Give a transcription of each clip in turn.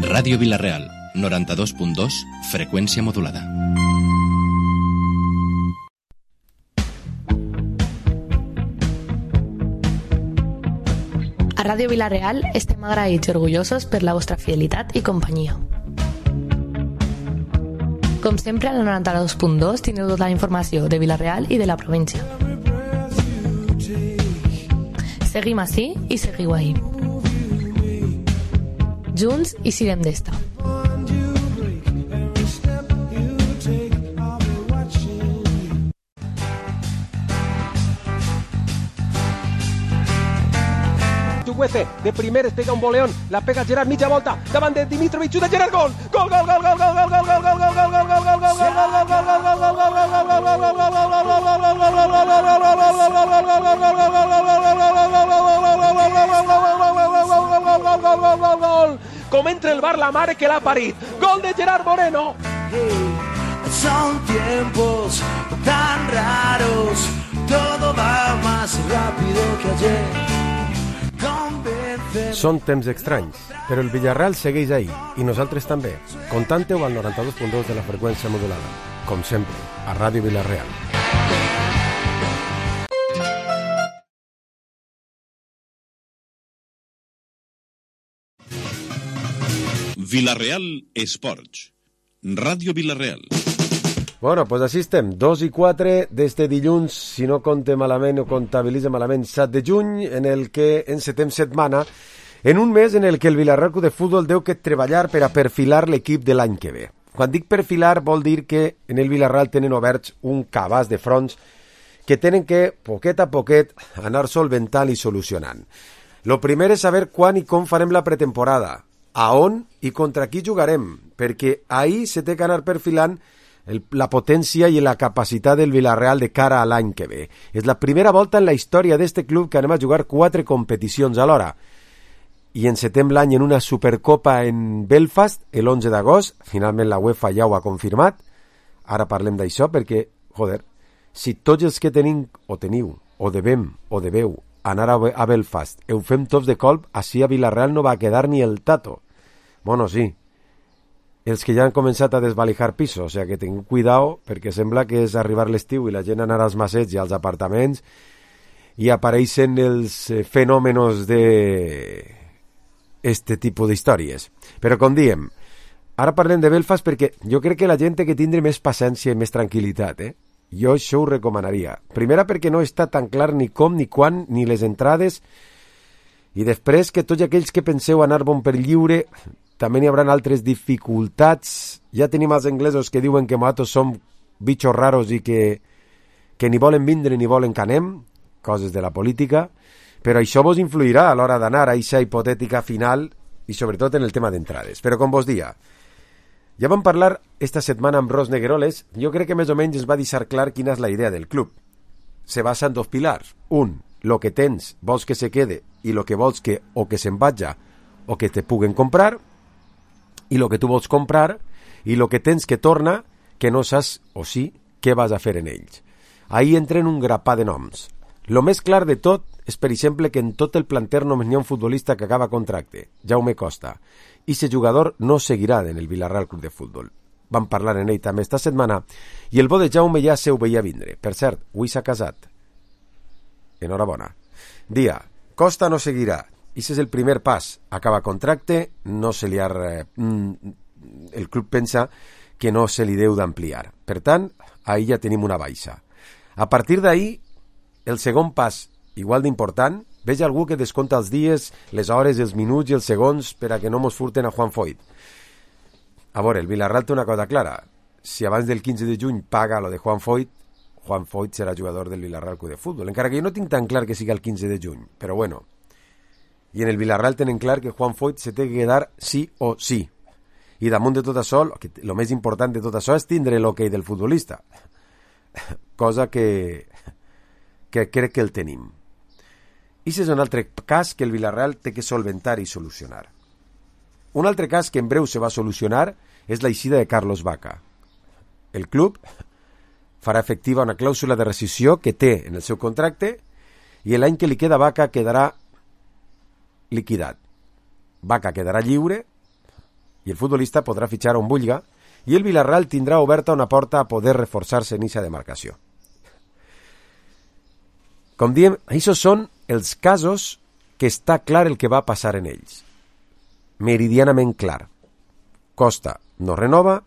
Ràdio Vila-real, 92.2, freqüència modulada. A Ràdio Vila-real estem agraïts i orgullosos per la vostra fidelitat i companyia. Com sempre, al 92.2 teniu tota la informació de Vila-real i de la província. Seguim ací i seguiu ahí. Junts i sirem d'esta. Chukwueze, de primeres pega un boleón, la pega Gerard, mitja volta, davant de Dimitrovic, xuta Gerard, gol! Gol, gol, gol, gol, gol, gol, gol, gol, gol, gol, gol, gol, gol, gol, gol, com entra el bar la mare que l'ha parit. Gol de Gerard Moreno. Son tiempos tan raros, todo va más rápido que ayer. Són temps estranys, però el Villarreal segueix ahí, i nosaltres també. Contante-ho al 92.2 de la freqüència modulada. Com sempre, a Ràdio Vila-real. Vila-real Esports. Ràdio Vila-real. Bueno, pues així estem, 2 i 4 d'este dilluns, si no compte malament o comptabilitza malament, 7 de juny, en el que encetem setmana, en un mes en el que el Villarreal Club de Futbol deu que treballar per a perfilar l'equip de l'any que ve. Quan dic perfilar vol dir que en el Villarreal tenen oberts un cabàs de fronts que tenen que, poquet a poquet, anar solventant i solucionant. Lo primer és saber quan i com farem la pretemporada, a on i contra qui jugarem, perquè ahir se té que anar perfilant la potència i la capacitat del Villarreal de cara a l'any que ve. És la primera volta en la història d'este club que anem a jugar 4 competicions alhora. I encetem l'any en una Supercopa en Belfast, l'11 d'agost. Finalment la UEFA ja ho ha confirmat. Ara parlem d'això perquè, joder, si tots els que tenim, o teniu, o devem, o deveu, anar a Belfast, ho fem tots de colp, així a Villarreal no va quedar ni el tato. Bueno, sí, els que ja han començat a desvalijar pisos, o sigui que teniu cuidao, perquè sembla que és arribar l'estiu i la gent anar als massets i als apartaments i apareixen els fenòmenos de este tipus d'històries. Però com diem, ara parlem de Belfast perquè jo crec que la gent té que tindre més paciència i més tranquil·litat, Jo això ho recomanaria. Primera perquè no està tan clar ni com, ni quan, ni les entrades, i després que tots aquells que penseu anar bon per lliure també n'hi haurà altres dificultats. Ja tenim els anglesos que diuen que nosaltres som bitxos raros i que ni volen vindre ni volen que anem, coses de la política, però això vos influirà a l'hora d'anar a aquesta hipotètica final i sobretot en el tema d'entrades. Però com vos dia, ja vam parlar esta setmana amb Ros Negueroles, jo crec que més o menys ens va deixar clar quina és la idea del club. Se basa en 2 pilars. Un, lo que tens vols que se quede i lo que vols que o que se'n vaja o que te puguen comprar, i lo que tu vols comprar i lo que tens que torna que no saps o sí què vas a fer en ells. Ahí entren un grapà de noms. Lo més clar de tot és, per exemple, que en tot el planter només n'hi ha un futbolista que acaba contracte, Jaume Costa, i ese jugador no seguirà en el Villarreal Club de Futbol. Vam parlar en ell també esta setmana i el bo de Jaume ja se ho veia vindre. Per cert, avui s'ha casat. Enhorabona. Dia, Costa no seguirà. Ese és el primer pas. Acaba contracte, no se li ha... el club pensa que no se li deu d'ampliar. Per tant, ahí ja tenim una baixa. A partir d'ahí, el segon pas, igual d'important, veja algú que desconta els dies, les hores, els minuts i els segons per a que no mos furten a Juan Foyt. A veure, el Villarreal té una cosa clara. Si abans del 15 de juny paga lo de Juan Foyt serà jugador del Villarreal Club de Futbol. Encara que jo no tinc tan clar que siga el 15 de juny, però bueno. I en el Villarreal tenen clar que Juan Foyt se té que quedar sí o sí. I damunt de tot això, el més important de tot això és tindre l'hoquei del futbolista. Cosa que crec que el tenim. I és un altre cas que el Villarreal té que solventar i solucionar. Un altre cas que en breu se va solucionar és l'eixida de Carlos Vaca. El club farà efectiva una clàusula de rescissió que té en el seu contracte i l'any que li queda a Vaca quedarà liquidat. Vaca quedarà lliure i el futbolista podrà fitxar on vulga i el Villarreal tindrà oberta una porta a poder reforçar-se en eixa demarcació. Com diem, això són els casos que està clar el que va passar en ells. Meridianament clar. Costa no renova,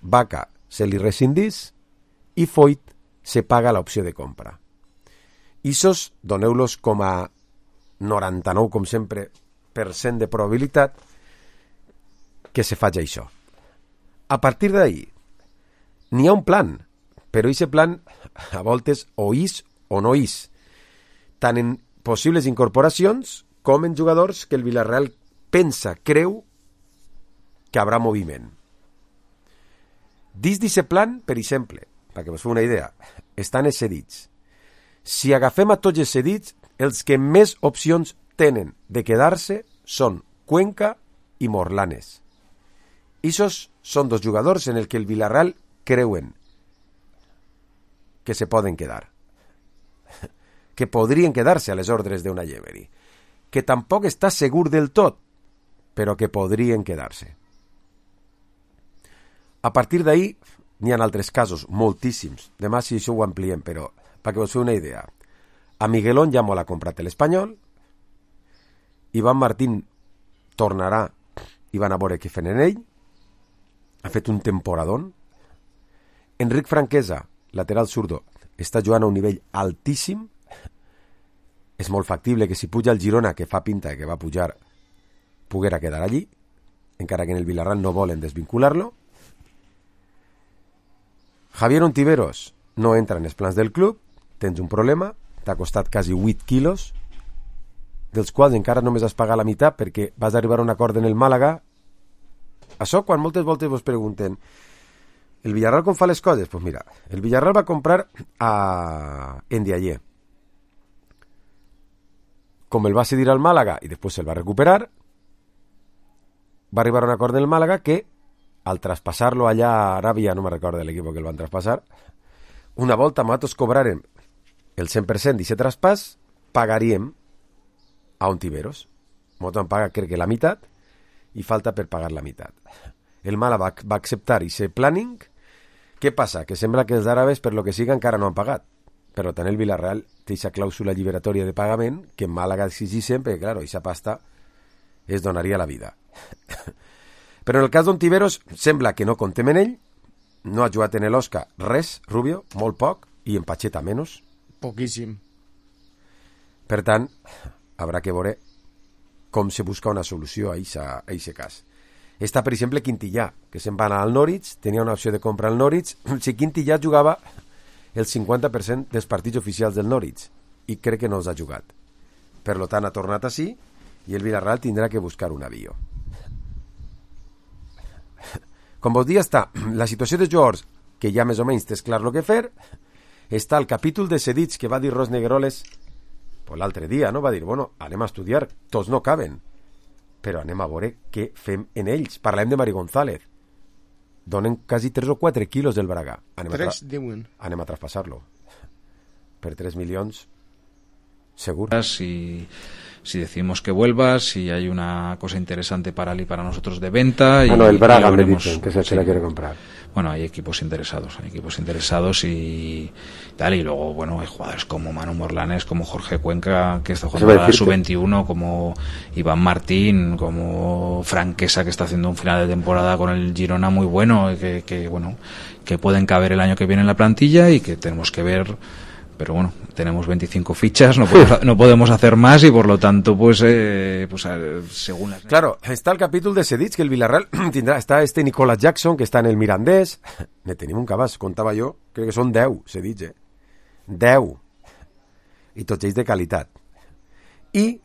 Vaca se li rescindís i Foyt se paga l'opció de compra. Ixos, doneu-los com a 99, com sempre, % de probabilitat que se faci això. A partir d'ahí, n'hi ha un plan, però aquest plan a voltes o és o no és, tant en possibles incorporacions com en jugadors que el Villarreal creu que haurà moviment. Dins d'aquest plan, per exemple, perquè us feu una idea, estan els cedits. Si agafem a tots els cedits, els que més opcions tenen de quedar-se són Cuenca i Morlanes. Ixos són dos jugadors en el que el Villarreal creuen que se poden quedar, que podrien quedar-se a les ordres d'una Emery, que tampoc està segur del tot, però que podrien quedar-se. A partir d'ahí, n'hi ha altres casos, moltíssims. Demà si això ho ampliem, però perquè us feu una idea. A Miguelón ja m'ho l'ha comprat l'Espanyol, Iván Martín tornarà i van a veure què fent en ell, ha fet un temporadón. Enric Franquesa, lateral zurdo, està jugant a un nivell altíssim. És molt factible que si puja el Girona, que fa pinta que va pujar, poguera quedar allí, encara que en el Villarreal no volen desvincular-lo. Javier Ontiveros no entra en els plans del club, tens un problema, t'ha costat quasi 8 quilos, dels quals encara només has pagat la meitat perquè vas arribar a un acord en el Màlaga. Això quan moltes voltes vos pregunten el Villarreal com fa les coses? Doncs mira, el Villarreal va comprar a Ndiaye. Com el va cedir al Màlaga i després se'l va recuperar, va arribar a un acord en el Màlaga que al traspassar-lo allà a Aràbia, no me recordo l'equip que el van traspassar, una volta nosaltres cobrarem el 100% d'aquest traspàs, pagaríem a Ontiveros. Nosaltres vam pagar, crec que la meitat, i falta per pagar la meitat. El Màlaga va acceptar aquest planning. Què passa? Que sembla que els àrabes, per lo que siga, encara no han pagat. Per tant, el Villarreal té aquesta clàusula lliberatòria de pagament que en Màlaga exigís sempre, que, claro, aquesta pasta es donaria la vida. Però en el cas d'Ontiveros sembla que no contem en ell, no ha jugat en l'Osca res, Rubio, molt poc, i en Pacheta menys. Poquíssim. Per tant, haurà que veure com se busca una solució a aquest cas. Està, per exemple, Quintillà, que se'n va anar al Norwich, tenia una opció de compra al Norwich. Si Quintillà jugava el 50% dels partits oficials del Norwich, i crec que no els ha jugat. Per tant, ha tornat així, i el Villarreal tindrà que buscar un avió. Com vos dia està la situació de jugadors, que ja més o menys tens clar el que fer, està el capítol de cedits que va dir Ros Negueroles l'altre dia, no? Va dir, bueno, anem a estudiar, tots no caben, però anem a veure què fem en ells. Parlem de Mari González. Donen quasi 3 o 4 quilos del Braga. Anem a traspassar-lo. Per 3 milions, segur. Si decimos que vuelva, si hay una cosa interesante para él y para nosotros de venta. No, el Braga me dicen que se la quiere comprar. Bueno, hay equipos interesados y tal, y luego, bueno, hay jugadores como Manu Morlanes, como Jorge Cuenca, que está jugando a la sub-21, como Iván Martín, como Franquesa, que está haciendo un final de temporada con el Girona muy bueno, que pueden caber el año que viene en la plantilla y que tenemos que ver. Pero bueno, tenemos 25 fichas, no podemos hacer más y por lo tanto, según las... Claro, está el capítol de cedits que el Villarreal tindrà. Està Nicolas Jackson, que està en el Mirandés. Ne tenim un cabàs, contava jo, crec que són 10 cedits, 10. I tots ells de qualitat. I,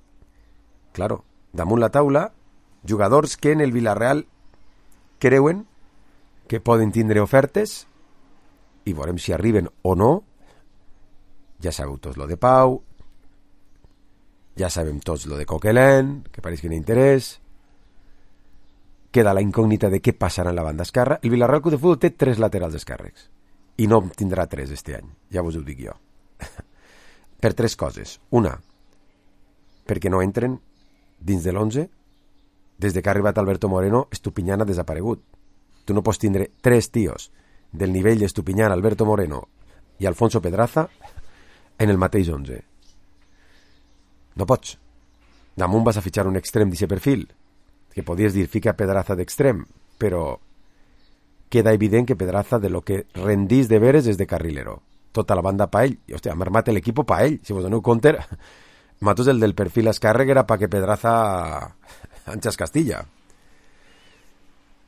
claro, damunt la taula, jugadors que en el Villarreal creuen que poden tindre ofertes i veurem si arriben o no. Ja sabeu tots lo de Pau, ja sabem tots lo de Coquelin, que pareix que no interès. Queda la incògnita de què passarà en la banda esquerra. El Villarreal Club de Futbol té 3 laterals esquerres i no tindrà 3 este any, ja vos ho dic jo. Per 3 coses. Una, perquè no entren dins de l'11, des de que ha arribat Alberto Moreno, Estupiñán ha desaparegut. Tu no pots tindre 3 tios del nivell d'Estupiñán, Alberto Moreno i Alfonso Pedraza en el mateix 11. No pots. Damunt vas a fitxar un extrem d'aquest perfil, que podies dir fica Pedraza d'extrem, però queda evident que Pedraza de lo que rendís de veres és de carrilero. Tota la banda pa ell. I, hòstia, hem armat l'equip pa ell. Si vos doneu compte, matos el del perfil escàrrec era pa que Pedraza anxas Castilla.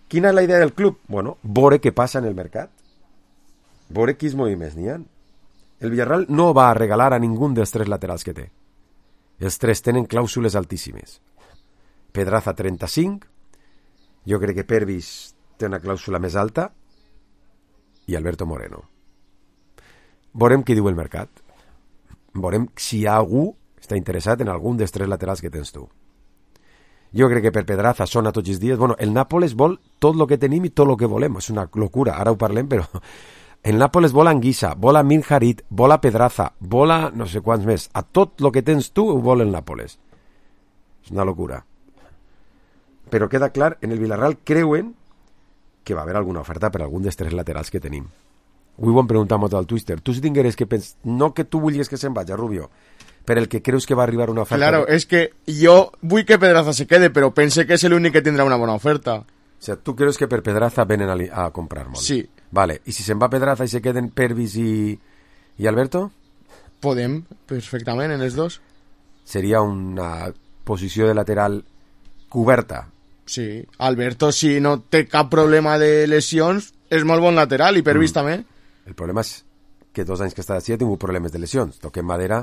Quina és la idea del club? Bueno, veure què passa en el mercat. Veure quins moviments n'hi ha. El Villarreal no va a regalar a ningú dels 3 laterals que té. Els 3 tenen clàusules altíssimes. Pedraza 35, jo crec que Pervis té una clàusula més alta, i Alberto Moreno. Veurem què diu el mercat. Veurem si algú està interessat en algun dels 3 laterals que tens tu. Jo crec que per Pedraza sona tots els dies. Bueno, el Nàpoles vol tot el que tenim i tot el que volem. És una locura, ara ho parlem, però el Nàpoles vol Anguissa, vol a Mir Harit, vol a Pedraza, vol a no sé quants més. A tot el que tens tu ho vol el Nàpoles. És una locura. Però queda clar, en el Villarreal creuen que va haver alguna oferta per algun dels 3 laterals que tenim. Avui ho hem preguntat molt al Twitter. Tu si tingueres que pensar, no que tu vulguis que se'n vagi, Rubio, per el que creus que va arribar una oferta... Claro, es que yo vull que Pedraza se quede, pero pensé que es el único que tendrá una buena oferta. O sea, tu creus que per Pedraza venen a comprar molt? Sí. Vale, i si se'n va Pedraza i se queden Pervis i Alberto? Podem, perfectament, en els dos. Seria una posició de lateral coberta. Sí, Alberto, si no té cap problema de lesions, és molt bon lateral, i Pervis també. El problema és que 2 anys que està així ha tingut problemes de lesions. Toquem madera,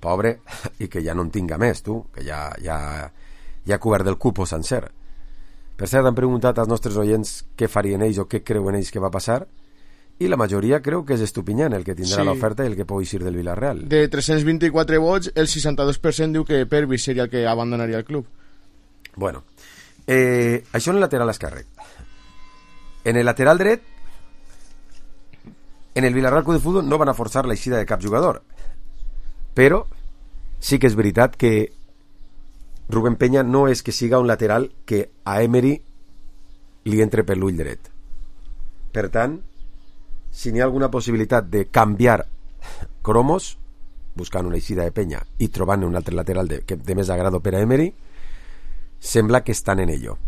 pobre, i que ja no en tinga més, tu, que ja ha cobert del cupo sencer. Per cert, han preguntat als nostres oients què farien ells o què creuen ells que va passar, i la majoria creu que és Estupiñán el que tindrà l'oferta i el que pugui eixir del Villarreal. De 324 vots, el 62% diu que Pervis seria el que abandonaria el club. Bueno, això en el lateral esquerre. En el lateral dret, en el Villarreal Club de Fútbol no van a forçar l'eixida de cap jugador, però sí que és veritat que Rubén Peña no és que siga un lateral que a Emery li entre per l'ull dret. Per tant, si n'hi ha alguna possibilitat de canviar cromos, buscant una eixida de Peña i trobant un altre lateral de més agrado per a Emery, sembla que estan en ello.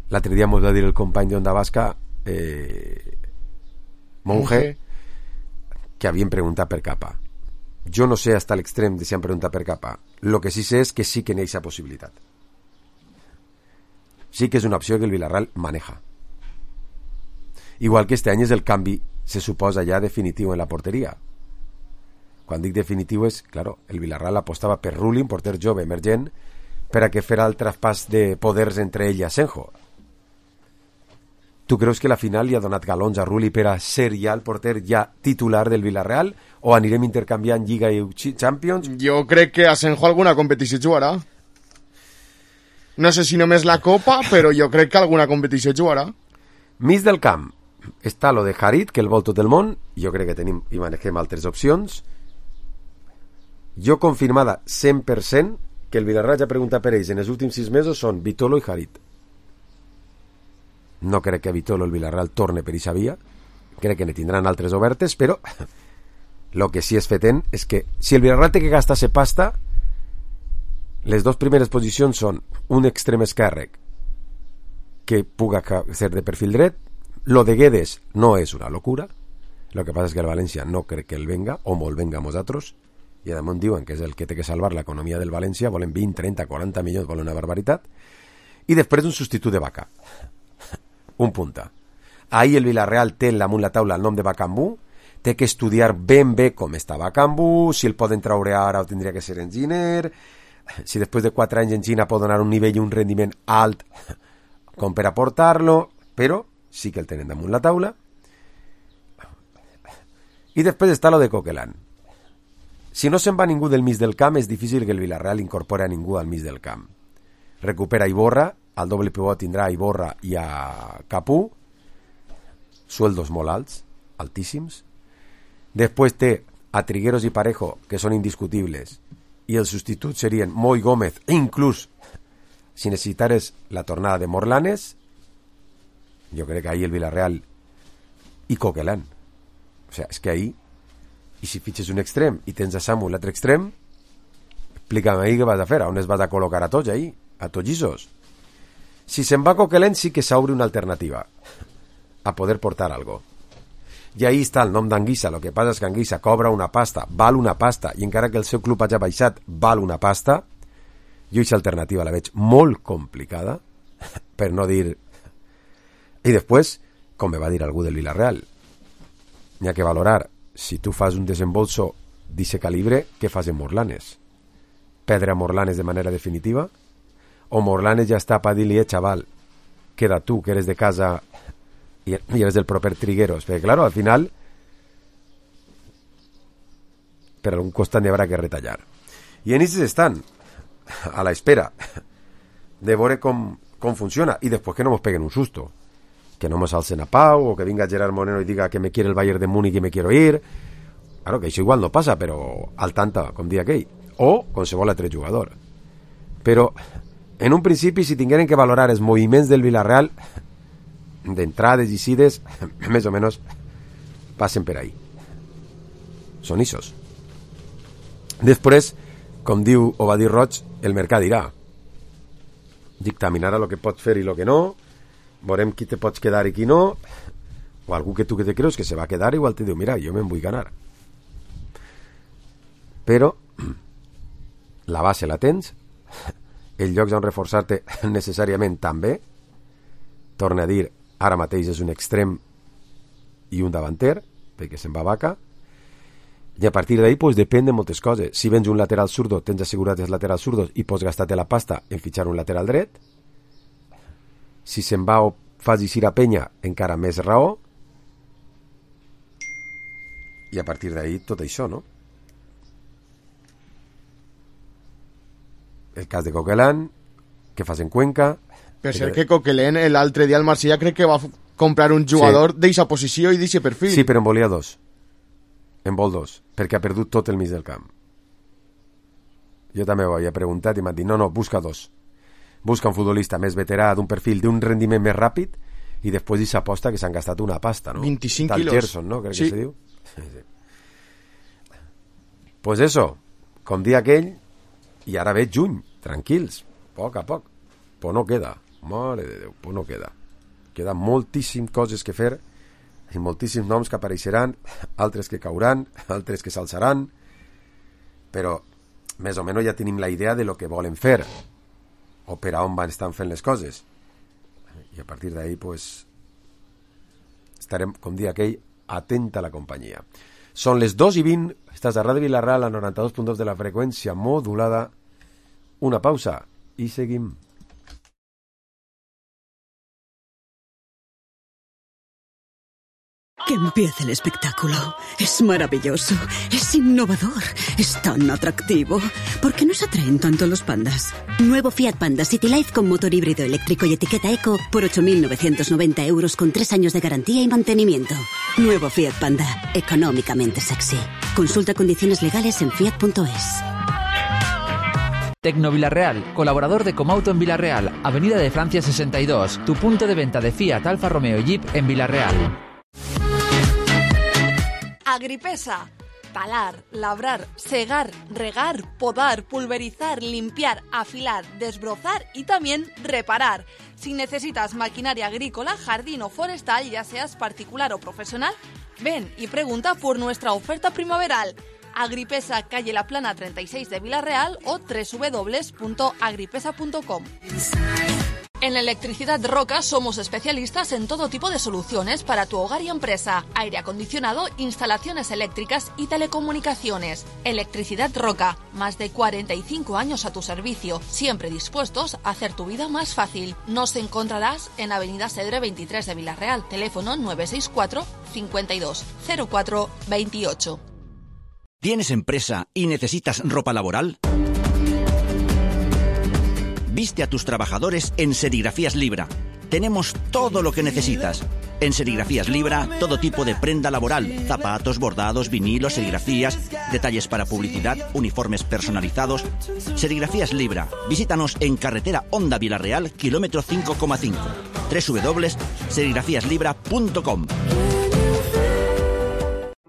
L'altre dia ens va dir el company d'Onda Basca, Monge, que havien preguntat per Capa. Jo no sé hasta l'extrem de si han preguntat per Capa. Lo que sí sé és que sí que n'hi ha aquesta possibilitat. Sí que és una opció que el Villarreal maneja. Igual que este any és el canvi, se suposa ja definitiu en la porteria. Quan dic definitiu és, claro, el Villarreal apostava per Rulli, un porter jove emergent, per a que farà el traspàs de poders entre ell i Asenjo. Tu creus que la final li ha donat galons a Rulli per a ser ja el porter ja titular del Villarreal, o anirem intercanviant Lliga i Champions? Jo crec que Asenjo alguna competició jugarà. No sé si només la Copa, però jo crec que alguna competició jugarà. Mig del camp està lo de Harit, que el vol tot el món. Jo crec que tenim i manegem altres opcions. Jo confirmada 100% que el Villarreal ja pregunta per ells en els últims 6 mesos són Vitolo i Harit. No crec que a Vitolo el Villarreal torne per eixa via. Crec que ne tindran altres obertes, però el que sí és fetent és que si el Villarreal té que gastar-se pasta, les 2 primeres posicions són un extrem esquerrec que puga ser de perfil dret. Lo de Guedes no és una locura. Lo que passa és que el València no crec que el venga, o molt venga a nosaltres, i damunt diuen que és el que té que salvar l'economia del València, volen 20, 30, 40 milions, volen una barbaritat, i després un substitut de Vaca, un punta. Ahir el Villarreal té damunt la taula el nom de Bacambú, té que estudiar ben bé com està Bacambú, si el poden traure ara o tindria que ser enginyer, si després de 4 anys en Xina pot donar un nivell i un rendiment alt com per aportar-lo, però sí que el tenen damunt la taula. I després està lo de Coquelin. Si no se'n va ningú del mig del camp, és difícil que el Villarreal incorpori a ningú al mig del camp. Recupera Iborra, al doble pivot tindrà a Iborra i a Capú, sueldos molt alts, altíssims. Després té a Trigueros i Parejo, que són indiscutibles, i els substituts serien Moy Gómez, inclús si necessitares la tornada de Morlanes, jo crec que ahir el Villarreal i Coquelin. O sigui, és que ahir, i si fitxes un extrem i tens a Samu l'altre extrem, explica'm ahir què vas a fer, on es vas a col·locar a tots ahir, a tots llisos. Si se'n va Coquelin sí que s'obre una alternativa a poder portar algo. I ahí està el nom d'Anguissa. El que passa és que Anguissa cobra una pasta, val una pasta, i encara que el seu club hagi baixat, val una pasta. Jo aquesta alternativa la veig molt complicada, per no dir... I després, com me va dir algú del Villarreal, n'hi ha que valorar, si tu fas un desembolso d'aquest calibre, què fas en Morlanes? Perdre a Morlanes de manera definitiva? O Morlanes ja està per dir-li, xaval, queda tu, que eres de casa... i eres del proper Trigueros, perquè claro, al final per algun costat n'hi haurà que retallar, i en aquests estan a la espera de veure com funciona, i després que no mos peguen un susto, que no mos alcen a Pau, o que vinga Gerard Moreno i diga que me quiere el Bayern de Múnich y me quiero ir. Claro, que això igual no passa, però al tanta, com dia aquell, o qualsevol altre jugador. Però en un principi, si tingueren que valorar els moviments del Villarreal, d'entrades i sides, més o menys passen per ahí. Són ixos. Després, com diu o va dir Roig, el mercat dirà. Dictaminarà el que pots fer i el que no, veurem qui te pots quedar i qui no, o algú que tu que te creus que se va quedar, igual te diu, mira, jo me'n vull ganar. Però la base la tens, els llocs on reforçar-te necessàriament també, torna a dir, ara mateix és un extrem i un davanter, perquè se'n va Vaca, i a partir d'ahí pues, depèn de moltes coses. Si vens un lateral zurdo, tens assegurat els laterals zurdos i pots gastar-te la pasta en fitxar un lateral dret. Si se'n va o fas eixir a Penya, encara més raó. I a partir d'ahí tot això, no? El cas de Coquelin, què fas en Cuenca... Per ser que Coquelin l'altre dia al Marsella crec que va comprar un jugador d'eixa posició i d'eixe perfil. Sí, però en volia dos. En vol dos, perquè ha perdut tot el mig del camp. Jo també ho havia preguntat i m'han dit, no, busca dos. Busca un futbolista més veterà, d'un perfil, d'un rendiment més ràpid, i després s'aposta que s'han gastat una pasta, no? 25 Tal quilos. Gerson, no? Crec que se diu. Sí. Pues eso, com dia aquell, i ara veig juny, tranquils, poc a poc. Pues no queda. Mare de Déu, pues no queda. Queda moltíssimes coses que fer i moltíssims noms que apareixeran, altres que cauran, altres que s'alçaran, però més o menys ja tenim la idea de lo que volen fer o per a on van estar fent les coses, i a partir d'ahí pues estarem, com dia aquell, atenta a la companyia. Són les 2:20, estàs a Ràdio Villarreal a 92.2 de la freqüència modulada. Una pausa i seguim. Que empiece el espectáculo. Es maravilloso, es innovador, es tan atractivo. ¿Por qué nos atraen tanto los pandas? Nuevo Fiat Panda City Life con motor híbrido eléctrico y etiqueta eco por 8.990 euros con 3 años de garantía y mantenimiento. Nuevo Fiat Panda, Económicamente sexy. Consulta condiciones legales en fiat.es. Tecno Villarreal, colaborador de Comauto en Villarreal, Avenida de Francia 62, tu punto de venta de Fiat, Alfa Romeo y Jeep en Villarreal. Agripesa. Talar, labrar, segar, regar, podar, pulverizar, limpiar, afilar, desbrozar y también reparar. Si necesitas maquinaria agrícola, jardín o forestal, ya seas particular o profesional, ven y pregunta por nuestra oferta primaveral. Agripesa, calle La Plana 36 de Villarreal o www.agripesa.com. En Electricidad Roca somos especialistas en todo tipo de soluciones para tu hogar y empresa, aire acondicionado, instalaciones eléctricas y telecomunicaciones. Electricidad Roca, más de 45 años a tu servicio, siempre dispuestos a hacer tu vida más fácil. Nos encontrarás en Avenida Cedre 23 de Villarreal, teléfono 964 52 04 28. ¿Tienes empresa y necesitas ropa laboral? Viste a tus trabajadores en Serigrafías Libra. Tenemos todo lo que necesitas. En Serigrafías Libra, todo tipo de prenda laboral, zapatos, bordados, vinilos, serigrafías, detalles para publicidad, uniformes personalizados. Serigrafías Libra. Visítanos en carretera Onda Vilareal, kilómetro 5,5. www.serigrafiaslibra.com.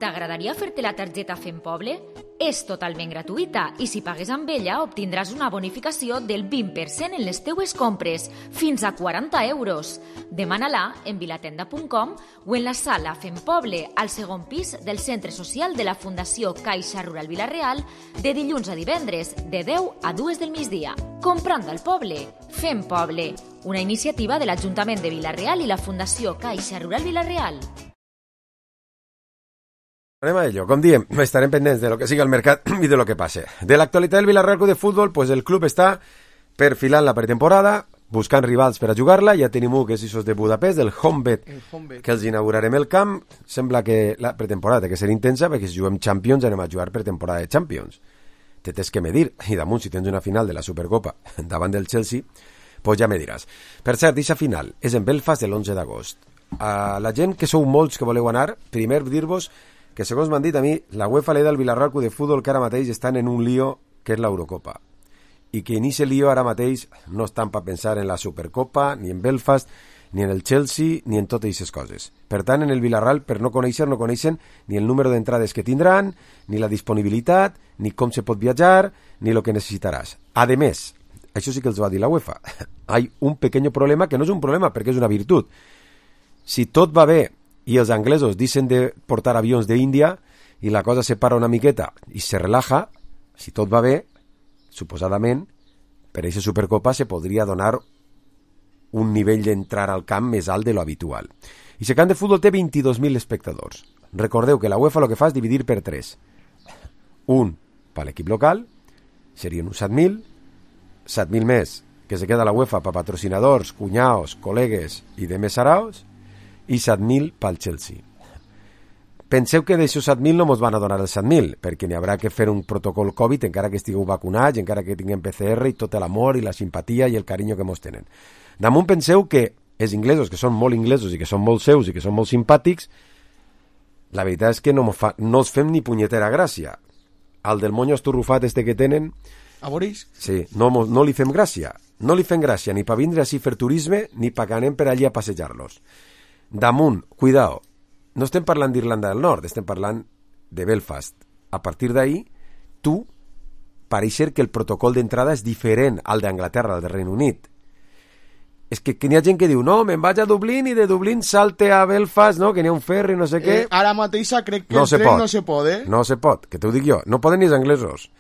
T'agradaria fer-te la targeta Fem Poble? És totalment gratuïta i si pagues amb ella obtindràs una bonificació del 20% en les teues compres, fins a 40 euros. Demana-la en vilatenda.com o en la sala Fem Poble, al segon pis del Centre Social de la Fundació Caixa Rural Vila-real, de dilluns a divendres, de 10 a 2 del migdia. Comprant al poble, Fem Poble, una iniciativa de l'Ajuntament de Vila-real i la Fundació Caixa Rural Vila-real. Anem a ello. Com diem, estarem pendents de lo que siga el mercat i de lo que passe. De l'actualitat del Villarreal Club de Futbol, pues el club està perfilant la pretemporada, buscant rivals per a jugar-la. Ja tenim un que és Isos de Budapest, el Honvéd, que els inaugurarem el camp. Sembla que la pretemporada té que ser intensa, perquè si juguem Champions anem a jugar pretemporada de Champions. Te tens que medir, i damunt, si tens una final de la Supercopa davant del Chelsea, pues ja me diràs. Per cert, aquesta final és en Belfast l'11 d'agost. A la gent que sou molts que voleu anar, primer dir-vos que segons m'han dit a mi, la UEFA li da al Villarreal Club de Futbol que ara mateix estan en un lío que és l'Eurocopa. I que en aquest lío ara mateix no estan per pensar en la Supercopa, ni en Belfast, ni en el Chelsea, ni en totes aquestes coses. Per tant, en el Villarreal, per no coneixen ni el número d'entrades que tindran, ni la disponibilitat, ni com se pot viatjar, ni el que necessitaràs. A més, això sí que els va dir la UEFA, hay un pequeño problema que no és un problema perquè és una virtut. Si tot va bé i els anglesos dicen de portar avions d'Índia i la cosa se para una miqueta i se relaja, si tot va bé, suposadament, per aquesta Supercopa se podria donar un nivell d'entrar al camp més alt de lo habitual. I el camp de futbol té 22.000 espectadors. Recordeu que la UEFA el que fa és dividir per 3. Un per l'equip local, serien uns 7.000, 7.000 més que se queda la UEFA per patrocinadors, cunyaos, col·legues i de més saraos, i 7.000 pel Chelsea. Penseu que d'aixòs 7.000 no mos van a donar els 7.000, perquè n'hi haurà que fer un protocol Covid encara que estigueu vacunats, encara que tinguem PCR i tot l'amor i la simpatia i el carinyo que mos tenen. Damunt penseu que els inglesos, que són molt inglesos i que són molt seus i que són molt simpàtics, la veritat és que no els fem ni punyetera gràcia. Al del monyo estorrufat este que tenen... A Boris? Sí, no li fem gràcia. No li fem gràcia ni per vindre així fer turisme ni per que anem per allí a passejar-los. Damunt, cuidao, no estem parlant d'Irlanda del Nord, estem parlant de Belfast. A partir d'ahí, tu, pareix ser que el protocol d'entrada és diferent al d'Anglaterra, al de Regne Unit. És que n'hi ha gent que diu, no, me'n vaig a Dublín i de Dublín salte a Belfast, no, que n'hi ha un ferri, no sé què. Ara mateixa crec que no el tren no se pot, eh? No se pot, que t'ho dic jo, no poden ni els anglesos.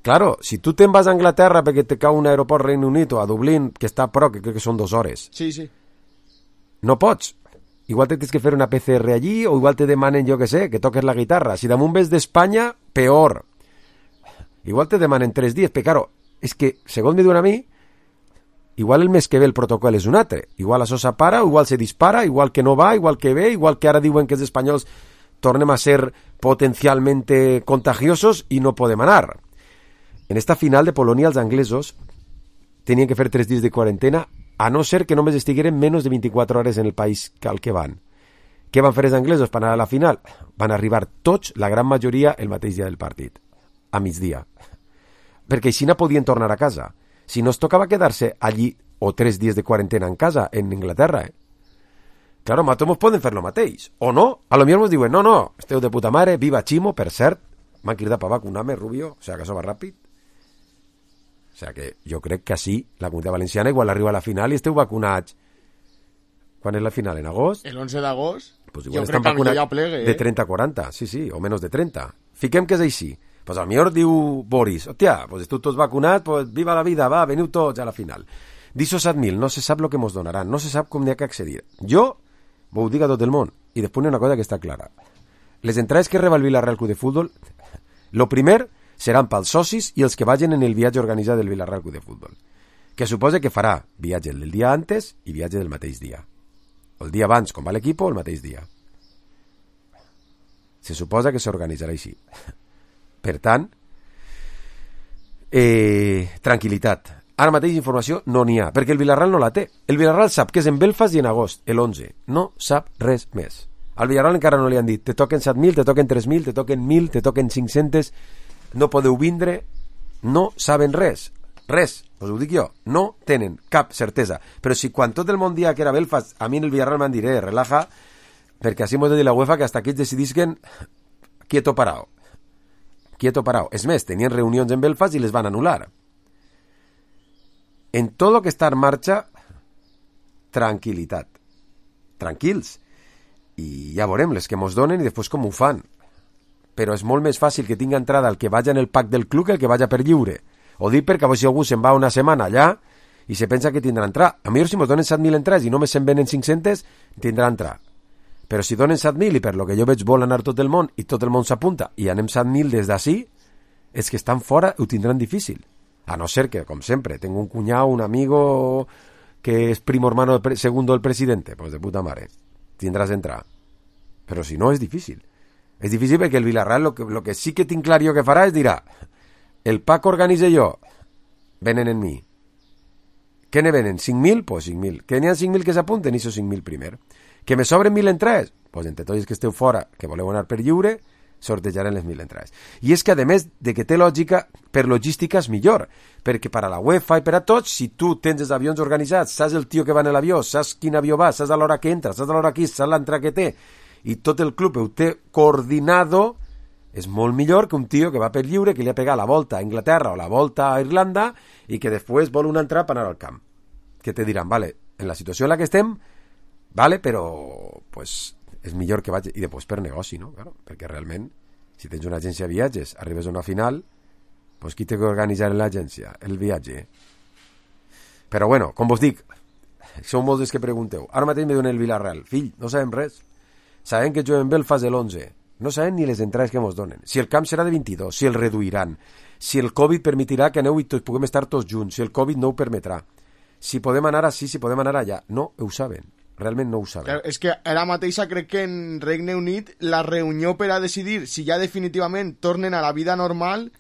Claro, si tu te'n vas a Anglaterra perquè te cau un aeroport Regne Unit o a Dublín, que està a prop, que crec que són 2 hores. Sí, sí. No pots. Igual te tens que fer una PCR allí o igual te demanen, jo que sé, que toques la guitarra. Si damunt ves d'Espanya, peor. Igual te demanen 3 dies, però claro, és que, segons me diuen a mi, igual el mes que ve el protocol és un altre. Igual això s'apara, igual se dispara, igual que no va, igual que ve, igual que ara diuen que els espanyols tornem a ser potencialmente contagiosos i no podem anar. En esta final de Polònia els anglesos tenien que fer 3 dies de quarantena, a no ser que només estigueren menys de 24 hores en el país al que van. Què van fer els anglesos per anar a la final? Van arribar tots, la gran majoria, el mateix dia del partit, a migdia. Perquè així no podien tornar a casa. Si no es tocava quedar-se allí o 3 dies de quarantena en casa, en Inglaterra, Claro, nosaltres poden fer lo mateix. O no, a lo millor ens diuen, no, esteu de puta mare, viva Ximo, per cert, m'han cridat per vacunar-me, Rubio, o sea que això va ràpid. O sea que jo crec que sí, la Comunitat Valenciana igual arriba a la final i esteu vacunats. Quan és la final? En agost? El 11 d'agost? Pues jo crec que ja plegue, de 30 a 40, sí, o menys de 30. Fiquem que és així. Pues al millor diu Boris, hòstia, pues esteu tots vacunats, pues viva la vida, va, veniu tots a la final. D'això 7.000, no se sap el que mos donaran, no se sap com n'hi ha que accedir. Jo ho dic a tot el món, i després una cosa que està clara. Les entrades que reba el Villarreal Club de Futbol, lo primer seran pels socis i els que vagin en el viatge organitzat del Villarreal Club de Futbol, que suposa que farà viatge del dia antes i viatge del mateix dia. El dia abans, com va l'equip, el mateix dia. Se suposa que s'organitzarà així. Per tant, tranquil·litat. Ara mateix informació no n'hi ha, perquè el Villarreal no la té. El Villarreal sap que és en Belfast i en agost, el 11. No sap res més. Al Villarreal encara no li han dit, te toquen 7.000, te toquen 3.000, te toquen 1.000, te toquen 500, no podeu vindre, no saben res, us ho dic jo, no tenen cap certesa. Però si quan tot el món dia que era Belfast, a mi en el Villarreal m'han diré, relaja, perquè així m'ho de dir la UEFA que hasta aquí es decidisquen quieto parao. És més, tenien reunions en Belfast i les van anul·lar. En tot el que està en marxa, tranquil·litat. Tranquils. I ja veurem les que mos donen i després com ho fan. Però és molt més fàcil que tinga entrada el que vagi en el pack del club que el que vagi per lliure. Ho dic perquè si algú se'n va una setmana allà i se pensa que tindrà entrar. A millor si mos donen 7.000 entrades i només se'n venen 500, tindrà entrar. Però si donen 7.000 i per lo que jo veig vol anar tot el món i tot el món s'apunta i anem 7.000 des d'ací, és que estan fora ho tindran difícil. A no ser que, com sempre, tengo un cuñado, un amigo que és primo hermano segundo del presidente, pues de puta mare, tindràs d'entrar. Però si no, és difícil. És difícil perquè el Villarreal lo que sí que tinc clar jo que farà és dirà, el pack organitze jo, venen en mi. Què ne venen? 5.000? Pues 5.000. Que n'hi ha 5.000 que s'apunten, i 5.000 primer. Que me sobren 1.000 entrades? Pues entre tots que esteu fora, que voleu anar per lliure, sortejarem les 1.000 entrades. I és que, a més de que té lògica, per logística és millor, perquè per a la UEFA i per a tots, si tu tens els avions organitzats, saps el tio que va en l'avió, saps quin avió va, saps a l'hora que entra, saps a l'hora que és, saps l'entrada que té, i tot el club ho té coordinado, és molt millor que un tio que va per lliure, que li ha pegat la volta a Inglaterra o la volta a Irlanda i que després vol una entrada per anar al camp. Que te diran, vale, en la situació en la que estem, vale, però pues, és millor que vagi, i després per negoci, no? Claro, perquè realment, si tens una agència de viatges, arribes a una final, pues qui té que organitzar l'agència? El viatge. Però bueno, com vos dic, sou molts dels que pregunteu. Ara mateix me donen el Villarreal. Fill, no sabem res. Sabem que juguem Belfast l'11. No sabem ni les entrades que mos donen. Si el camp serà de 22, si el reduiran, si el Covid permetirà que aneu i puguem estar tots junts, si el Covid no ho permetrà, si podem anar així, si podem anar allà. No ho saben. Realment no ho saben. Claro, és que ara mateixa crec que en Regne Unit la reunió per a decidir si ja definitivament tornen a la vida normal...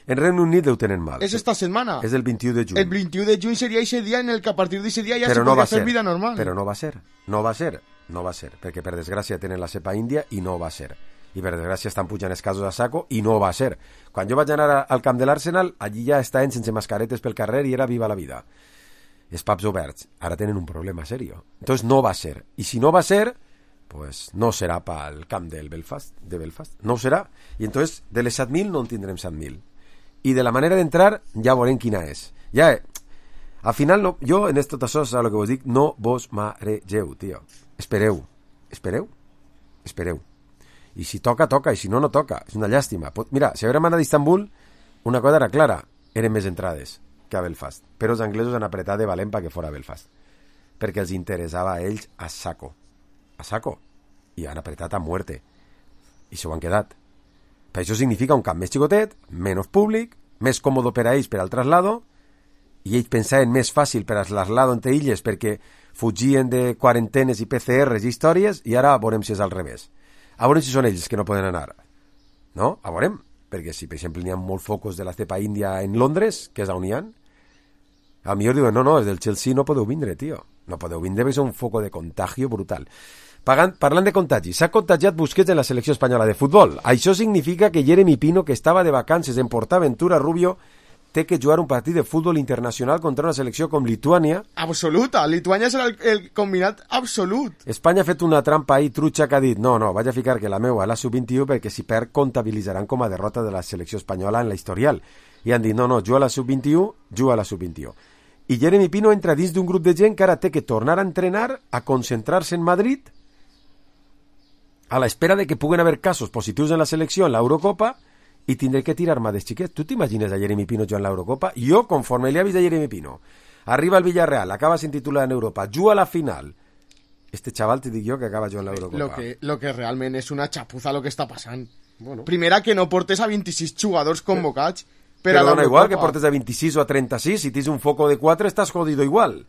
En Regne Unit ho tenen mal. És esta setmana. És el 21 de juny. El 21 de juny seria ese dia en el que a partir d'ese dia ja se podria fer vida normal. Però no va ser. No va ser, perquè per desgràcia tenen la cepa índia i no va ser. I per desgràcia estan pujant els casos a saco i no va ser. Quan jo vaig anar al camp de l'Arsenal, allí ja estaven sense mascaretes pel carrer i era viva la vida. Els pubs oberts. Ara tenen un problema serio. Entonces no va ser. I si no va ser, pues no serà pel camp de Belfast. No ho serà. I entonces de les 7.000 no en tindrem 7.000. I de la manera d'entrar ja veurem quina és. Ja, al final, no, jo en tot això, saps el que vos dic, no vos maregeu, tio. Espereu. I si toca, toca, i si no, no toca. És una llàstima. Mira, si haguérem anat a Istanbul, una cosa era clara, eren més entrades que a Belfast. Però els anglesos han apretat de valent perquè fora Belfast. Perquè els interessava a ells a saco. I han apretat a muerte. I s'ho han quedat. Per això significa un camp més xicotet, menys públic, més còmode per a ells per al traslado, i ells pensaven més fàcil per al traslado entre illes perquè fugien de quarantenes i PCRs i històries, i ara veurem si és al revés. A veurem si són ells que no poden anar. No? A veurem. Perquè si, per exemple, n'hi ha molts focus de la cepa índia en Londres, que és on hi ha, a millor diuen, no, és del Chelsea, no podeu vindre, tio. No podeu vindre perquè és un foco de contagio brutal. Parlant de contagi, s'ha contagiat Busquets en la selecció espanyola de futbol. Això significa que Jeremy Pino, que estava de vacances en PortAventura, Rubio, té que jugar un partit de futbol internacional contra una selecció com Lituània. Absoluta, Lituània serà el combinat absolut. Espanya ha fet una trampa ahí trucha que ha dit, no, vaig a ficar que la meua a la sub-21 perquè si perd comptabilitzaran com a derrota de la selecció espanyola en la historial. I han dit, no, juga a la sub-21, I Jeremy Pino entra dins d'un grup de gent que ara té que tornar a entrenar, a concentrar-se en Madrid, a l'espera de que puguen haver casos positius en la selecció en l'Eurocopa i tindré que tirar mà dels xiquets. Tu t'imagines a Jeremy Pino jugant l'Eurocopa? Jo, conforme li ha vist a Jeremy Pino, arriba al Villarreal, acaba sin titular en Europa, juga a la final. Este chaval te dic jo que acaba jugant l'Eurocopa. Lo que realment és una xapuza lo que està passant. Bueno. Primera, que no portes a 26 jugadors convocats però dona igual que portes a 26 o a 36, si tens un foco de 4 estàs jodido igual.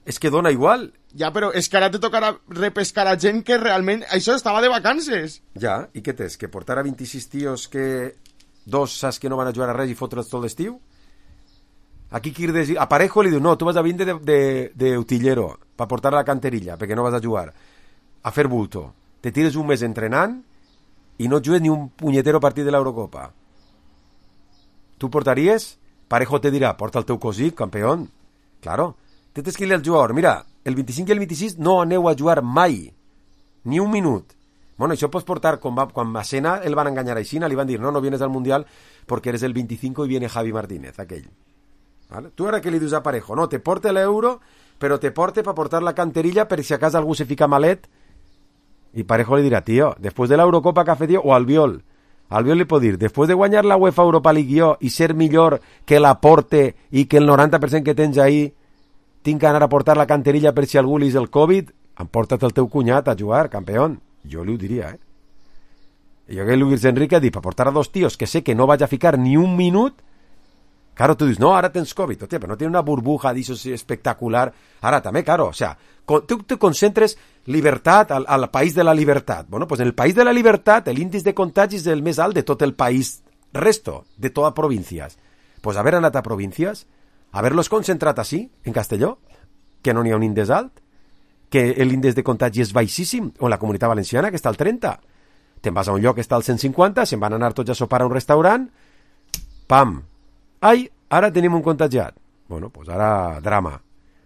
És que dona igual. Ja, però és que ara te tocarà repescar a gent que realment això estava de vacances. Ja, i què tens? Que portar a 26 tios que dos saps que no van a jugar a res i fotre'ls tot l'estiu? Aquí Quirdes, a Parejo li diu, no, tu vas a vindre d'utillero per portar a la canterilla, perquè no vas a jugar. a fer bulto. Te tires un mes entrenant i no jugues ni un punyetero partit de l'Eurocopa. Tu portaries? Parejo te dirà, porta el teu cosí, campeón. Claro. Tens que dir al jugador, mira, el 25 i el 26 no aneu a jugar mai. Ni un minut. Bueno, això pots portar, quan Massena el van enganyar així, li van dir, no vienes al Mundial porque eres el 25 y viene Javi Martínez, aquell. ¿Vale? Tu ara què li dius a Parejo? No, te porte l'euro, però te porte per portar la canterilla per si acaso algú se fica malet. I Parejo li dirà, tío, després de l'Eurocopa que ha fet o Albiol li pot dir, després de guanyar la UEFA Europa League jo i ser millor que la Porte i que el 90% que tens ahí tinc que anar a portar la canterilla per si algú li és el Covid, emporta't el teu cunyat a jugar, campeón. Jo li ho diria, I jo que Luis Enrique ha dit, per portar a dos tios que sé que no vaig a ficar ni un minut, claro, tu dius, no, ara tens Covid, hòstia, però no tiene una burbuja d'això espectacular. Ara també, claro, o sea, tu te concentres libertad al país de la libertad. Bueno, pues en el país de la libertad el índice de contagis és el més alt de tot el país, resto, de totes províncies. Pues haver anat a províncies, haver-los concentrat així, en Castelló, que no n'hi ha un índex alt, que l'índex de contagi és baixíssim, o en la Comunitat Valenciana, que està al 30. Te'n vas a un lloc que està al 150, se'n van anar tots a sopar a un restaurant, pam, ai, ara tenim un contagiat. Bueno, pues ara drama.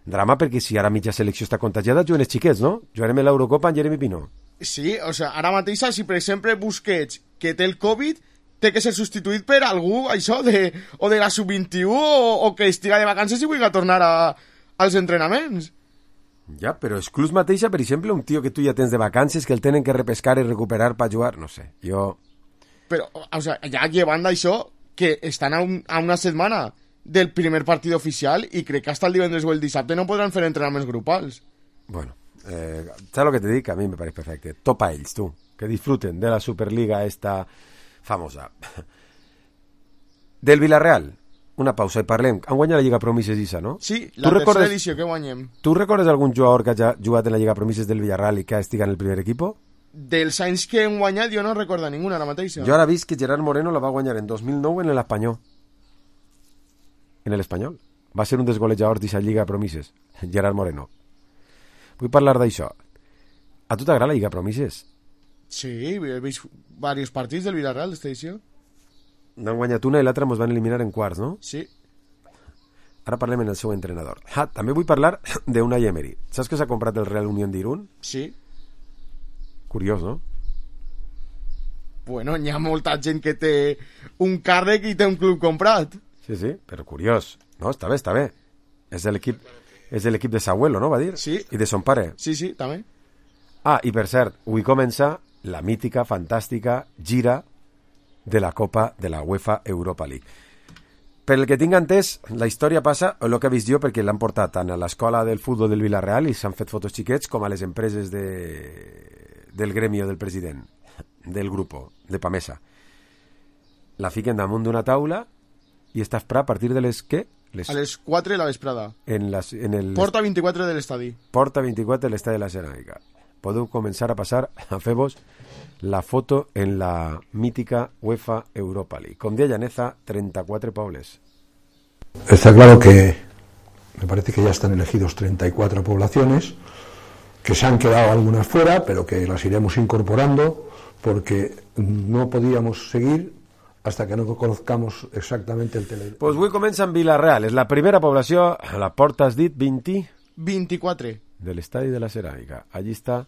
Drama perquè si ara mitja selecció està contagiada, juguen els xiquets, no? Jugarem a l'Eurocopa en Jeremy Pino. Sí, o sea, ara mateix, si per exemple Busquets, que té el Covid, té que ser substituït per algú, això, o de la sub-21 o que estiga de vacances i vulgui tornar als entrenaments. Ja, però exclús mateixa, per exemple, un tio que tu ja tens de vacances, que el tenen que repescar i recuperar per jugar, no sé, jo... Però, o sea, ja llevant això, que estan a una setmana del primer partit oficial i crec que hasta el divendres o el dissabte no podran fer entrenaments grupals. Bueno, ¿sabes lo que te dic? A mi me parece perfecte. Topa ells, tu, que disfruten de la Superliga esta famosa. Del Villarreal, una pausa i parlem. Han guanyat la Lliga Promises Isa, no? Sí, la tercera edició que guanyem. Tu recordes algun jugador que hagi jugat en la Lliga Promises del Villarreal i que estiga en el primer equipo? Dels anys que hem guanyat jo no recordo ninguna ara mateixa. Jo ara vist que Gerard Moreno la va guanyar en 2009 en l'Espanyol. En l'Espanyol. Va ser un dels golejadors d'aquesta Lliga Promises, Gerard Moreno. Vull parlar d'això. A tu t'agrada la Lliga Promises? Sí, he vist diversos partits del Villarreal d'esta edició. N'han guanyat una i l'altra ens van eliminar en quarts, no? Sí. Ara parlem en el seu entrenador. També vull parlar d'Unai Emery. Saps que s'ha comprat el Real Unión d'Irún? Sí. Curiós, no? Bueno, hi ha molta gent que té un càrrec i té un club comprat. Sí, però curiós. No, està bé. És l'equip de Sahuelo, no, va dir? Sí. I de son pare. Sí, també. I per cert, avui comença la mítica, fantàstica gira de la Copa de la UEFA Europa League. Per el que tinc entès, la història passa, o el que he vist jo, perquè l'han portat tant a l'escola del futbol del Villarreal i s'han fet fotos xiquets, com a les empreses del gremio del president, del grupo, de Pamesa. La fiquen damunt d'una taula i està a partir de les què? A les 4 de la vesprada. En el Porta 24 de l'estadi. Porta 24 de l'estadi de la Ceràmica. Podeu començar a passar a fer-vos la foto en la mítica UEFA Europa League. Com deia Llaneza, 34 pobles. Está claro que me parece que ya están elegidos 34 poblaciones, que se han quedado algunas fuera, pero que las iremos incorporando porque no podíamos seguir hasta que no conozcamos exactamente el tele. Pues avui comença en Villarreal. És la primera població, a la porta has dit 24 de l'estadi de la Ceràmica. Allí està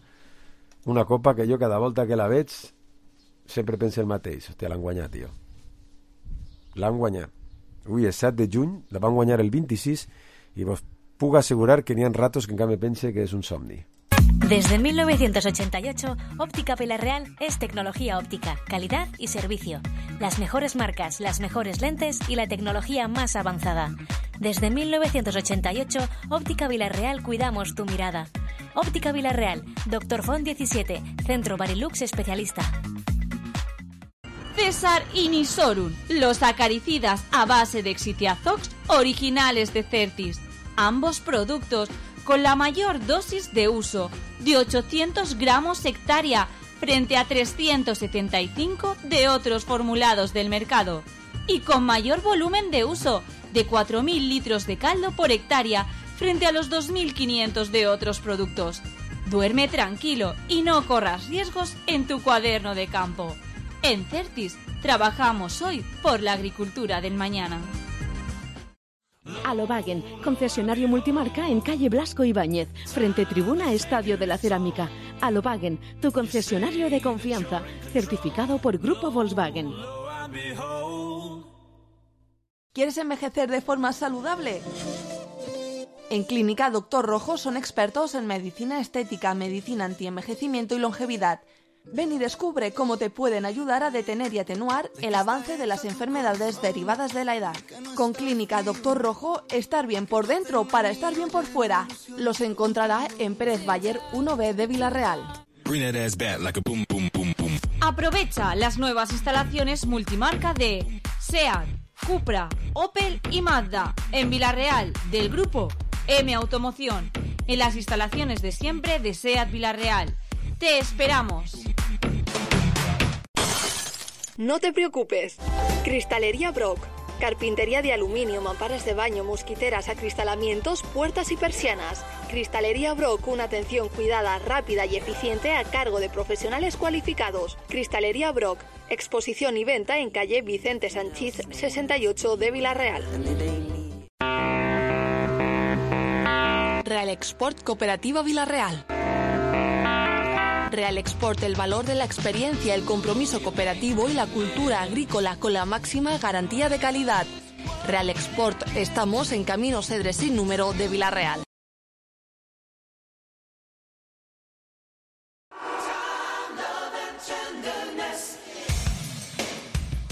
una copa que jo cada volta que la veig sempre penso el mateix. Hòstia, l'han guanyat, tio. L'han guanyat. Avui és 7 de juny, la van guanyar el 26 i vos puc assegurar que n'hi ha ratos que en canvi pense que és un somni. Desde 1988, Óptica Villarreal es tecnología óptica, calidad y servicio. Las mejores marcas, las mejores lentes y la tecnología más avanzada. Desde 1988, Óptica Villarreal cuidamos tu mirada. Óptica Villarreal, Dr. Font 17, Centro Barilux especialista. César y Nisorun, los acaricidas a base de Exitiazox originales de Certis. Ambos productos con la mayor dosis de uso, de 800 gramos hectárea, frente a 375 de otros formulados del mercado. Y con mayor volumen de uso, de 4.000 litros de caldo por hectárea, frente a los 2.500 de otros productos. Duerme tranquilo y no corras riesgos en tu cuaderno de campo. En Certis trabajamos hoy por la agricultura del mañana. Alobagen, concesionario multimarca en calle Blasco Ibáñez, frente tribuna Estadio de la Cerámica. Alobagen, tu concesionario de confianza, certificado por Grupo Volkswagen. ¿Quieres envejecer de forma saludable? En Clínica Doctor Rojo son expertos en medicina estética, medicina antienvejecimiento y longevidad. Ven y descubre cómo te pueden ayudar a detener y atenuar el avance de las enfermedades derivadas de la edad. Con Clínica Doctor Rojo, estar bien por dentro para estar bien por fuera. Los encontrará en Pérez Bayer 1B de Villarreal. Aprovecha las nuevas instalaciones multimarca de SEAT, Cupra, Opel y Mazda en Villarreal del grupo M Automoción, en las instalaciones de siempre de SEAT Villarreal. ¡Te esperamos! No te preocupes. Cristalería Brock. Carpintería de aluminio, mamparas de baño, mosquiteras, acristalamientos, puertas y persianas. Cristalería Brock, una atención cuidada, rápida y eficiente a cargo de profesionales cualificados. Cristalería Brock. Exposición y venta en calle Vicente Sanchís 68 de Villarreal. Real Export Cooperativa Villarreal. Real Export, el valor de la experiencia, el compromiso cooperativo y la cultura agrícola con la máxima garantía de calidad. Real Export, estamos en Camino Cedre sin número de Villarreal.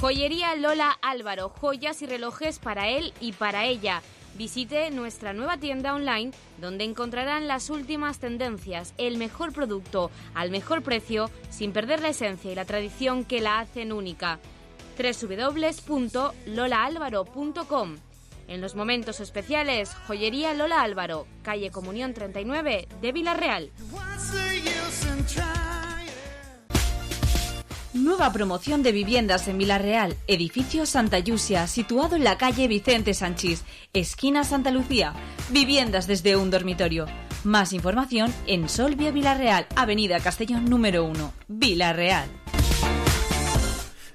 Joyería Lola Álvaro, joyas y relojes para él y para ella. Visite nuestra nueva tienda online donde encontrarán las últimas tendencias, el mejor producto al mejor precio sin perder la esencia y la tradición que la hacen única. www.lolaalvaro.com. En los momentos especiales, Joyería Lola Álvaro, calle Comunión 39 de Villarreal. Nueva promoción de viviendas en Villarreal, edificio Santa Yusia, situado en la calle Vicente Sanchís, esquina Santa Lucía. Viviendas desde un dormitorio. Más información en Solvia Villarreal, avenida Castellón número 1, Villarreal.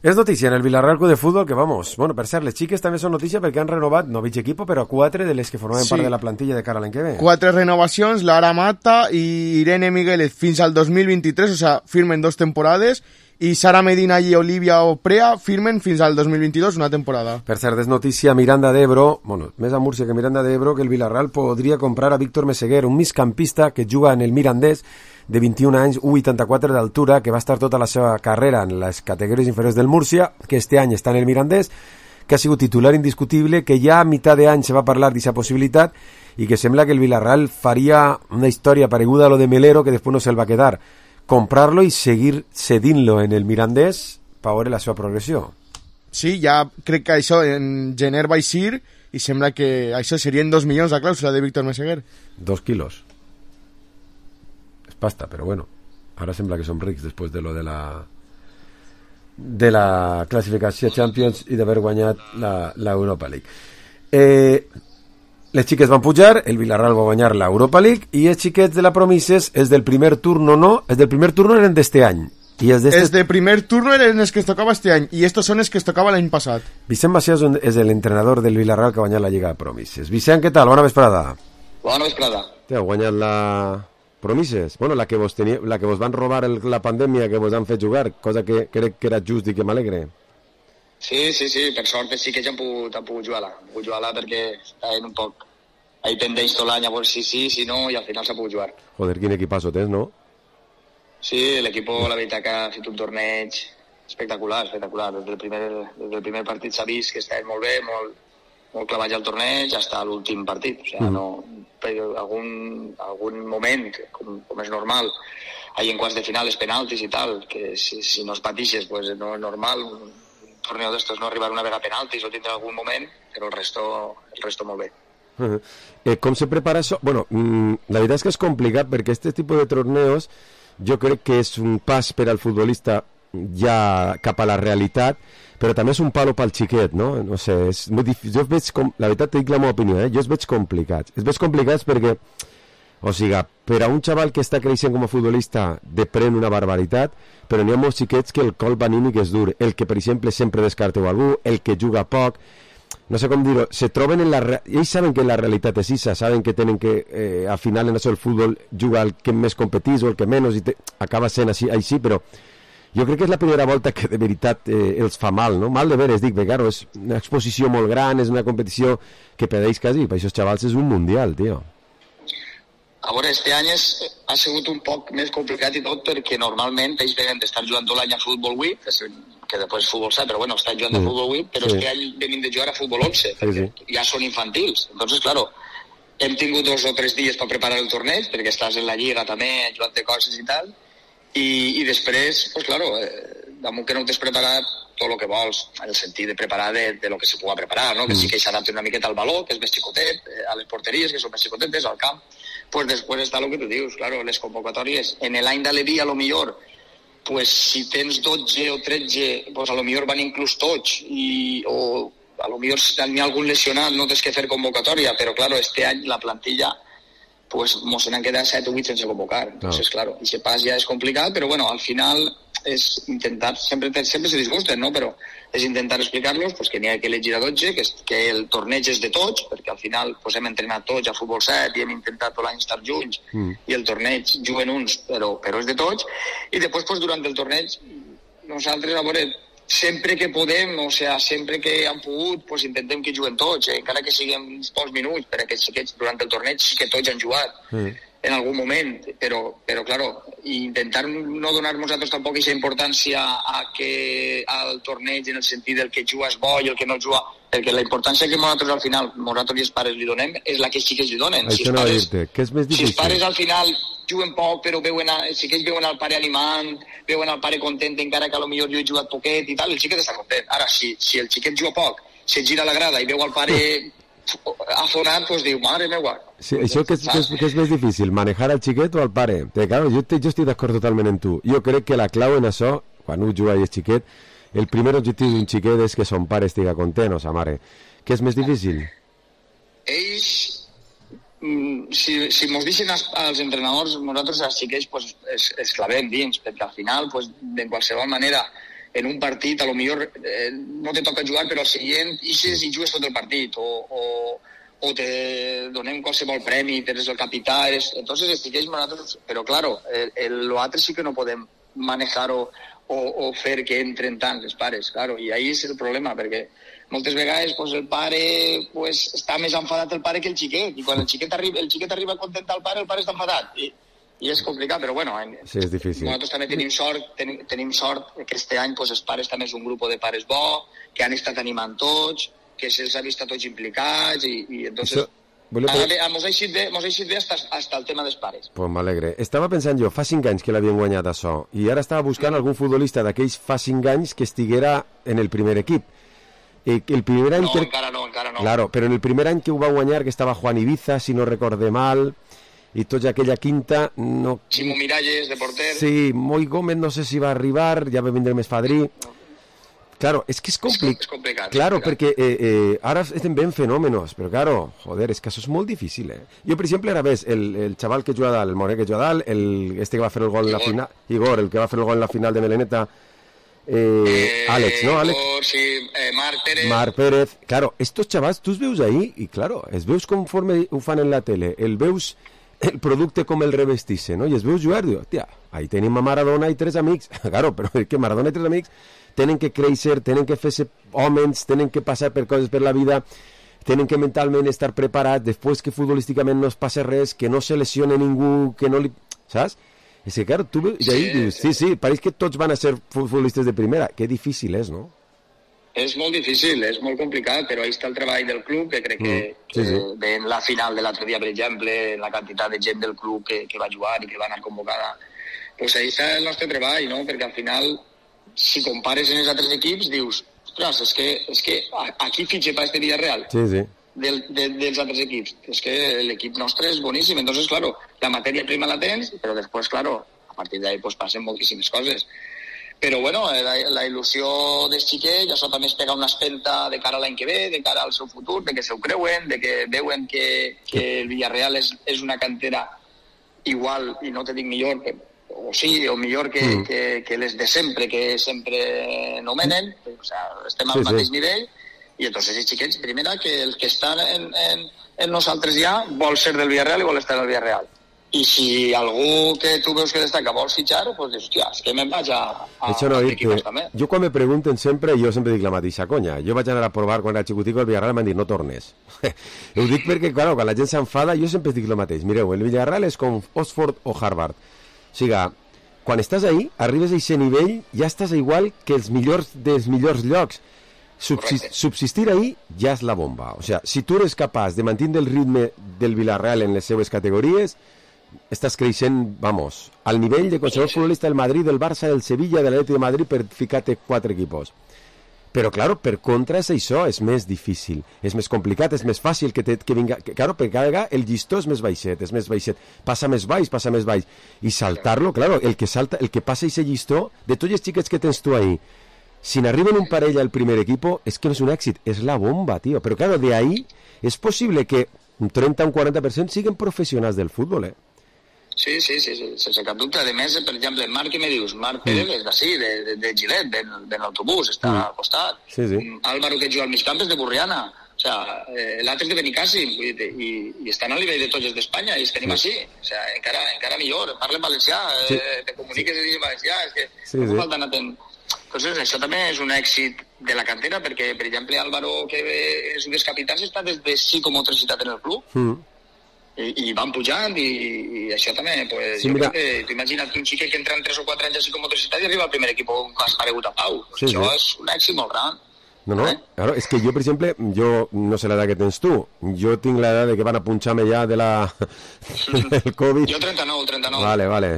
És notícia en el Villarreal Club de Futbol que, vamos, bueno, per cert, les xiques també són notícia perquè han renovat, no mig equipo, però 4 de les que formaven part de la plantilla de cara a l'any que ve. 4 renovacions, Lara Mata i Irene Migueles fins al 2023, o sea, firmen 2 temporades, i Sara Medina i Olivia Oprea firmen fins al 2022, una temporada. Per cert, és notícia Miranda d'Ebro, bueno, més a Múrcia que Miranda d'Ebro, que el Villarreal podria comprar a Víctor Meseguer, un migcampista que juga en el Mirandés, de 21 anys, 1,84 d'altura, que va estar tota la seva carrera en les categories inferiors del Múrcia, que este any està en el Mirandés, que ha sigut titular indiscutible, que ja a mitjà d'any se va parlar d'aquesta possibilitat i que sembla que el Villarreal faria una història pareguda a lo de Melero, que després no se'l va quedar, comprarlo i seguir cedint-lo en el Mirandés per veure la seva progressió. Sí, ja crec que això en gener va eixir i sembla que això serien 2 milions la clàusula de Víctor Meseguer. 2 quilos. Pasta, però bueno, ara sembla que som rics després de lo de la classificació Champions i d'haver guanyat l'Europa League. Les xiques van pujar, el Villarreal va guanyar l'Europa League i els xiquets de la Promises és del primer turno, no, els del primer turno eren d'este any. Els de primer turno eren els que es tocava este any i estos són els que es tocava l'any passat. Vicent Macias és l'entrenador del Villarreal que ha guanyat la Lliga de Promises. Vicent, què tal? Bona vesprada. Bona vesprada. Heu guanyat la Promises, bueno, la que vos van robar la pandèmia, que vos han fet jugar, cosa que crec que era just i que m'alegre. Sí, per sort sí que ja han pogut jugar-la. Perquè estaven un poc ahí pendents tot l'any a veure si sí, si no, i al final s'ha pogut jugar. Joder, quin equipazo tens, no? Sí, l'equip, la veritat que ha fet un torneig espectacular. Des del primer partit s'ha vist que estaven molt bé, molt clavats al torneig, fins a l'últim partit. O sigui, no... algun moment, com és normal, hay en quarts de final els penaltis i tal, que si no es patixes pues no és normal un torneo d'estos no arribar una vegada a penaltis o tindre algun moment, però el resto molt bé. Com se prepara això? Bueno, la veritat és que és complicat perquè este tipus de torneos jo crec que és un pas per al futbolista ja cap a la realitat, però també és un palo pel xiquet, no? No sé, és molt difícil. Jo veig la veritat, te dic la meva opinió, jo els veig complicats. Els veig complicats perquè O sigui, per a un xaval que està creixent com a futbolista depèn una barbaritat, però n'hi ha molts xiquets que el colp anímic és dur. El que, per exemple, sempre descarteu algú, el que juga poc, no sé com dir-ho, se troben en la... Ells saben que la realitat és issa, saben que tenen que, al final en això el futbol juga el que més competís o el que menys, i acaba sent així, però jo crec que és la primera volta que de veritat els fa mal, no? Mal de veres, dic, perquè claro, és una exposició molt gran, és una competició que pedeix quasi, per això els xavals és un mundial, tio. A veure, este any ha sigut un poc més complicat i tot perquè normalment ells venen d'estar jugant tot l'any a Futbol Week, que després és Futbol 7, però bueno, estan jugant a Futbol Week, però este any venim de jugar a Futbol 11, perquè ja són infantils. Entonces, claro, hem tingut 2 o 3 dies per preparar el torneig, perquè estàs en la lliga també, jugant de coses i tal, i després, pues claro, damunt que no t'has preparat tot el que vols, en el sentit de preparar de lo que se pugui preparar, no? Que sí que s'adapti una miqueta al baló, que és més xicotet, a les porteries, que són més xicotetes, al camp. Pues després està el que tu dius, claro, les convocatòries. En l'any d'Aleví, a lo millor, pues si tens 12 o 13, pues a lo millor van inclús tots, o a lo millor si n'hi ha algun lesionat no tens que fer convocatòria, però claro, este any la plantilla pues mos n'han quedat 7 o 8 sense convocar. Entonces, claro, ese pas ja és complicat, però bueno, al final és intentar, sempre se disgusten, no? Però és intentar explicar-los pues, que n'hi ha que elegir a 12, que el torneig és de tots, perquè al final pues, hem entrenat tots a Futbol 7 i hem intentat tot l'any estar junts, i el torneig juguen uns, però és de tots, i després pues, durant el torneig nosaltres, a veure, sempre que podem, o sigui, sempre que han pogut, pues, intentem que juguen tots, encara que siguin uns pocs minuts, perquè durant el torneig sí que tots han jugat en algun moment, però claro, intentar no donar nosaltres tampoc aquesta importància al torneig en el sentit del que juga és bo i el que no juga, perquè la importància que nosaltres al final, nosaltres i els pares li donem, és la que sí que els li donen. Això no dir-te, que és més difícil. Si els pares al final juguen poc, però sí que ells veuen el pare animant, veuen el pare content, encara que potser jo he jugat poquet i tal, el xiquet està content. Ara, si el xiquet juga poc, se gira a la grada i veu el pare afonat, doncs diu, mare meva. Sí, això que és més difícil, manejar al xiquet o al pare? Claro, jo estic d'acord totalment amb tu. Jo crec que la clau en això, quan un juga i és xiquet, el primer objectiu d'un xiquet és que son pare estigui content o sa mare. Què és més difícil? Ells, si mos deixen als entrenadors, nosaltres als xiquets pues, es clavem dins, perquè al final, pues, de qualsevol manera, en un partit, a lo millor no te toca jugar, però al següent ixes i jugues tot el partit, o te donem qualsevol premi, eres el capità, entonces estigueix nosaltres, però claro, l'altre sí que no podem manejar-ho o fer que entren tant els pares, claro, i ahí és el problema, perquè moltes vegades pues, el pare pues, està més enfadat el pare que el xiquet, i quan el xiquet arriba a contentar el pare està enfadat, i és complicat, però bueno, sí, és difícil. Nosaltres també tenim sort que este any pues, els pares també és un grup de pares bo, que han estat animant tots, que se'ls ha vist a tots implicats, i entonces mos ha eixit bé hasta el tema dels pares. Pues m'alegre. Estava pensant jo, fa 5 anys que l'havien guanyat això, i ara estava buscant algun futbolista d'aquells fa 5 anys que estiguera en el primer equip. El primer any encara no. Claro, però en el primer any que ho va guanyar, que estava Juan Ibiza, si no recorde mal, i tota aquella quinta no... Ximo Miralles, de porter. Sí, Moi Gómez no sé si va arribar, ja va vindre més fadrí. Claro, es que és complicat. Claro, perquè ara estem ben fenòmenos, però claro, joder, és que això és molt difícil, Jo, per exemple, ara ves, el xaval que juga dalt, el Moré que juga dalt, que va fer el gol en la final, Igor, el que va fer el gol en la final de Meleneta, Àlex, ¿no? Àlex. Sí, Marc Pérez. Claro, estos xavals, tu els veus ahí, i claro, els veus conforme ho fan en la tele, el veus el producte com el revestisse, no? I es veus jugar, diu, hòstia, ahí tenim a Maradona i 3 amics. Claro, però és que Maradona i 3 amics tenen que créixer, tenen que fer-se homes, tenen que passar per coses per la vida, tenen que mentalment estar preparats, després que futbolísticament no es passa res, que no se lesione ningú, que no li... Saps? És que, claro, tu veus, i ahí dius, sí, pareix que tots van a ser futbolistes de primera. Que difícil és, no? És molt difícil, és molt complicat, però ahí està el treball del club, que crec que en la final de l'altre dia, per exemple, la quantitat de gent del club que va jugar i que va anar convocada, pues ahí està el nostre treball, no? Perquè al final, si compares en els altres equips, dius, ostres, és que aquí fitxe per este Villarreal. Sí. Dels altres equips. És que l'equip nostre és boníssim, entonces, claro, la matèria prima la tens, però després, claro, a partir d'ahí pues, passen moltíssimes coses. Però bueno, la il·lusió dels xiquets, això també es pega una espelta de cara a l'any que ve, de cara al seu futur, de que s'ho creuen, de que veuen que el Villarreal és una cantera igual, i no te dic millor, o sí, o millor que les de sempre, que sempre nomenen, o sea, estem al mateix nivell, i entonces els xiquets, primera, que el que estan en nosaltres ja vol ser del Villarreal i vol estar al Villarreal. I si algú que tu veus que destaca vol fitxar, pues dius, hòstia, és que me'n vaig a equipos també. Jo quan me pregunten sempre, jo sempre dic la mateixa conya. Jo vaig anar a provar quan era xicutico el Villarreal i m'han dit, no tornes. Ho dic perquè, clar, quan la gent s'enfada, jo sempre dic el mateix. Mireu, el Villarreal és com Oxford o Harvard. O sigui, quan estàs ahí, arribes a aquest nivell, ja estàs igual que els millors dels millors llocs. Subsistir ahí ja és la bomba. O sigui, si tu eres capaç de mantenir el ritme del Villarreal en les seues categories, estàs creixent, vamos, al nivell de qualsevol futbolista del Madrid, del Barça, del Sevilla, de l'Atlètic de Madrid, per ficar-te 4 equipos. Però, claro, per contra és això, és més difícil, és més complicat, és més fàcil que vinga... Claro, per cada vegada el llistó és més baixet, passa més baix, i saltar-lo, claro, el que passa aquest llistó, de tots els xiquets que tens tu ahí, si n'arriben un parell al primer equipo, és que no és un èxit, és la bomba, tio. Però, claro, de ahí és possible que un 30 o un 40% siguin professionals del futbol, Sí, sense cap dubte. A més, per exemple, Marc, què me dius? Marc Pérez és d'ací, de Gilet, de l'autobús, està al costat. Sí. Álvaro, que juga al mig camp, és de Burriana. O sea, l'altre és de Benicàssim, i estan al nivell de tots els d'Espanya, i els tenim així. O sea, encara millor, parlen valencià, te comuniques en valencià, és que no falten atent. Entonces, això també és un èxit de la cantera, perquè, per exemple, Álvaro, que és un dels capitans, està des de 6 com 3 ciutats en el club. I van pujant, i això també, pues, jo crec que tu imagina't un xiquet que entra en 3 o 4 anys així com motoricitat i arriba al primer equip on has aparegut a Pau. Això és un èxit molt gran. No, claro, és que jo, per exemple, jo no sé l'edat que tens tu, jo tinc l'edat de que van a punxar-me ja del Covid. Jo 39. Vale,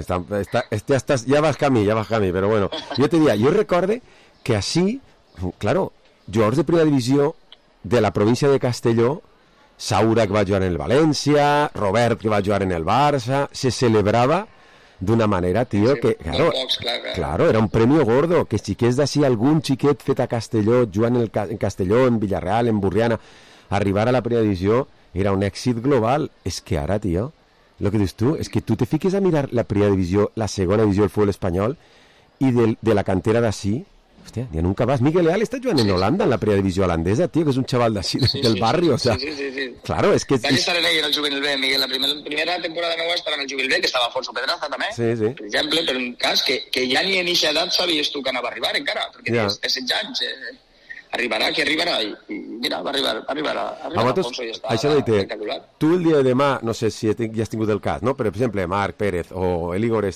ja vas camí, però bueno, jo te diria, jo recorde que així, claro, jugadors de primera divisió de la província de Castelló, Saura, que va jugar en el València, Robert, que va jugar en el Barça, se celebrava d'una manera, tio, que, claro, era un premio gordo, que xiquets d'ací, algun xiquet fet a Castelló, jugant en Castelló, en Villarreal, en Burriana, arribar a la primera divisió, era un èxit global. És que ara, tio, el que dius tu, és que tu te fiques a mirar la primera divisió, la segona divisió del futbol espanyol, i de la cantera d'ací, hòstia, ja nunca vas. Miguel Leal està jugant en Holanda, en la primera divisió holandesa, tio, que és un xaval d'ací, del barri, o sea... Sí. Claro, és que... Vaig estar en ell en el Juvenil B, Miguel, la primera temporada meva estava en el Juvenil B, que estava Alfonso Pedraza, també, per exemple, per un cas que ja ni en eixa edat sabies tu que anava a arribar, encara, perquè tens 16 anys, arribarà, i mira, va arribar Alfonso i està espectacular. Tu el dia de demà, no sé si ja has tingut el cas, no? Però, per exemple, Marc Pérez o el Igor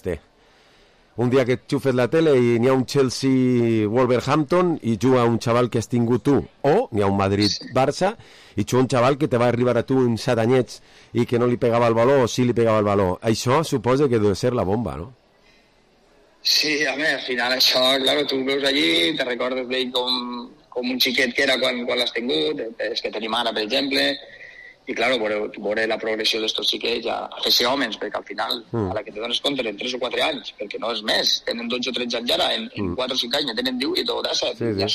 un dia que xufes la tele i n'hi ha un Chelsea-Wolverhampton i juga un xaval que has tingut tu, o n'hi ha un Madrid-Barça i juga un xaval que te va arribar a tu en 7 anyets i que no li pegava el baló o sí li pegava el baló. Això suposa que deu ser la bomba, no? Sí, a veure, al final això, claro, tu veus allí, te recordes d'ell com un xiquet que era quan l'has tingut, és que tenim ara, per exemple, i claro, veure la progressió d'estos xiquets a fer-se homes, perquè al final a la que te dones compte en 3 o 4 anys, perquè no és més, tenen 12 o 13 anys ara, en 4 o 5 anys ja tenen 18 o 17, ja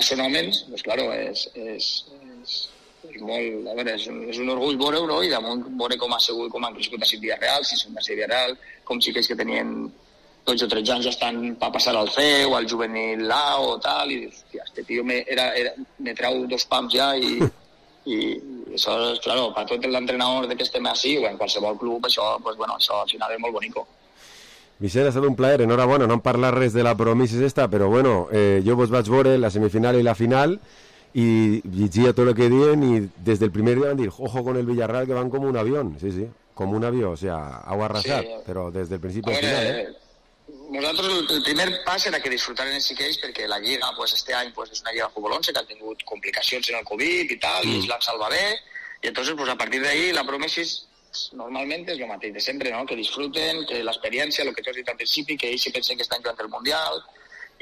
són homes, doncs claro, és molt, a veure, és un orgull veure-ho, no? I damunt veure com ha sigut, com han crescut a Villarreal, si són de Villarreal, com xiquets que tenien 12 o 13 anys ja estan a passar al C o al juvenil A o tal, i dius, hòstia, este tio me trau 2 pams ja i això és, claro, per tot l'entrenador que estem així o en qualsevol club, això, pues, bueno, això al final és molt bonico. Vicent, ha estat un plaer, enhorabona, no hem parlat res de la Promises esta, però bueno, jo vos vaig veure la semifinal i la final i llegia tot el que diuen i des del primer dia van dir, ojo con el Villarreal que van com un avión, sí, com un avió, o sea, heu arrasat, però des del principi al final, Nosaltres el primer pas era que disfrutaren els xiquets perquè la Lliga, pues, este any pues, és una Lliga Futbol 11 que ha tingut complicacions en el Covid i tal, i ells l'han salvat bé, i entonces pues, a partir d'ahí la Promesis normalment és el mateix de sempre, ¿no? Que disfruten, que l'experiència, el que tu has dit al principi, que ells sí pensen que estan jugant el Mundial,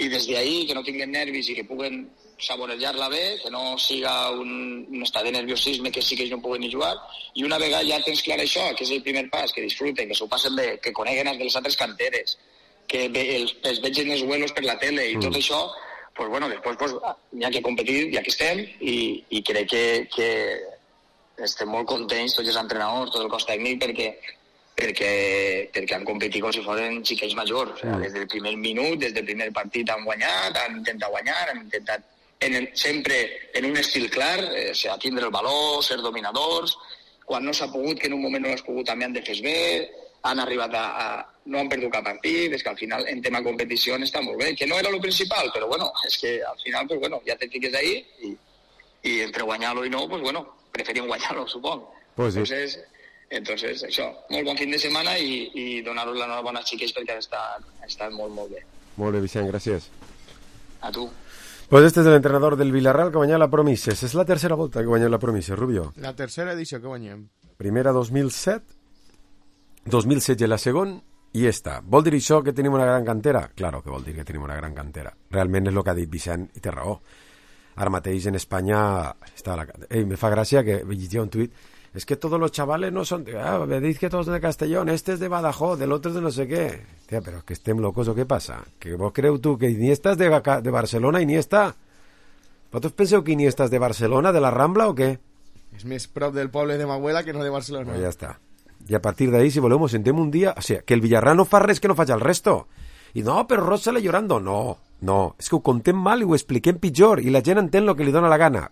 i des d'ahí que no tinguin nervis i que puguen saborejar-la bé, que no siga un estat de nerviosisme que sí que ells no puguen ni jugar, i una vegada ja tens clar això, que és el primer pas, que disfruten, que s'ho passen bé, que coneguen els de les altres canteres, que els vegin els vuelos per la tele i tot això, pues bueno, després pues, hi ha que competir, ja que estem, i crec que estem molt contents tots els entrenadors, tot el cos tècnic, perquè perquè han competit com si foren xiquets majors. O sigui, des del primer minut, des del primer partit han guanyat, han intentat guanyar, han intentat sempre en un estil clar, o sigui, tindre el valor, ser dominadors, quan no s'ha pogut, que en un moment no has pogut, també han defès bé, han arribat no han perdut cap partit, és que al final en tema competició està molt bé, que no era lo principal, però bueno, és que al final, pues bueno, ja te fiques ahí i entre guanyar-lo i no, pues bueno, preferim guanyar-lo, suponc. Pues sí. Entonces, això, molt bon fin de setmana i donar-los l'enhorabona als xiquets perquè han estat molt, molt bé. Molt bé, Vicent, gràcies. A tu. Pues este és l'entrenador del Villarreal que guanya la Promises. És la tercera volta que guanya la Promises, Rubio. La tercera edició que guanyem. Primera 2007, 2016 la segona i esta. Vol dir això que tenim una gran cantera? Claro que vol dir que tenim una gran cantera. Realment és el que ha dit Vicent i té raó. Ara mateix en Espanya està la... me fa gràcia que llegia un tuit. Es que todos los chavales no son... me dice que todos de Castellón, este es de Badajoz, del otro es de no sé qué. Tía, pero que estem locos o què passa? Que vos creu tu que Iniesta és de Barcelona, Iniesta? Vosaltres penseu que Iniesta és de Barcelona, de la Rambla o què? És més prop del poble de Mahuela que no de Barcelona. Pues ja està. I a partir d'ahí, si voleu, sentem un dia... O sigui, que el Villarreal no fa res que no faci el resto. I no, però Ross sale llorando. No, és que ho contem mal i ho expliquem pitjor i la gent entén el que li dona la gana.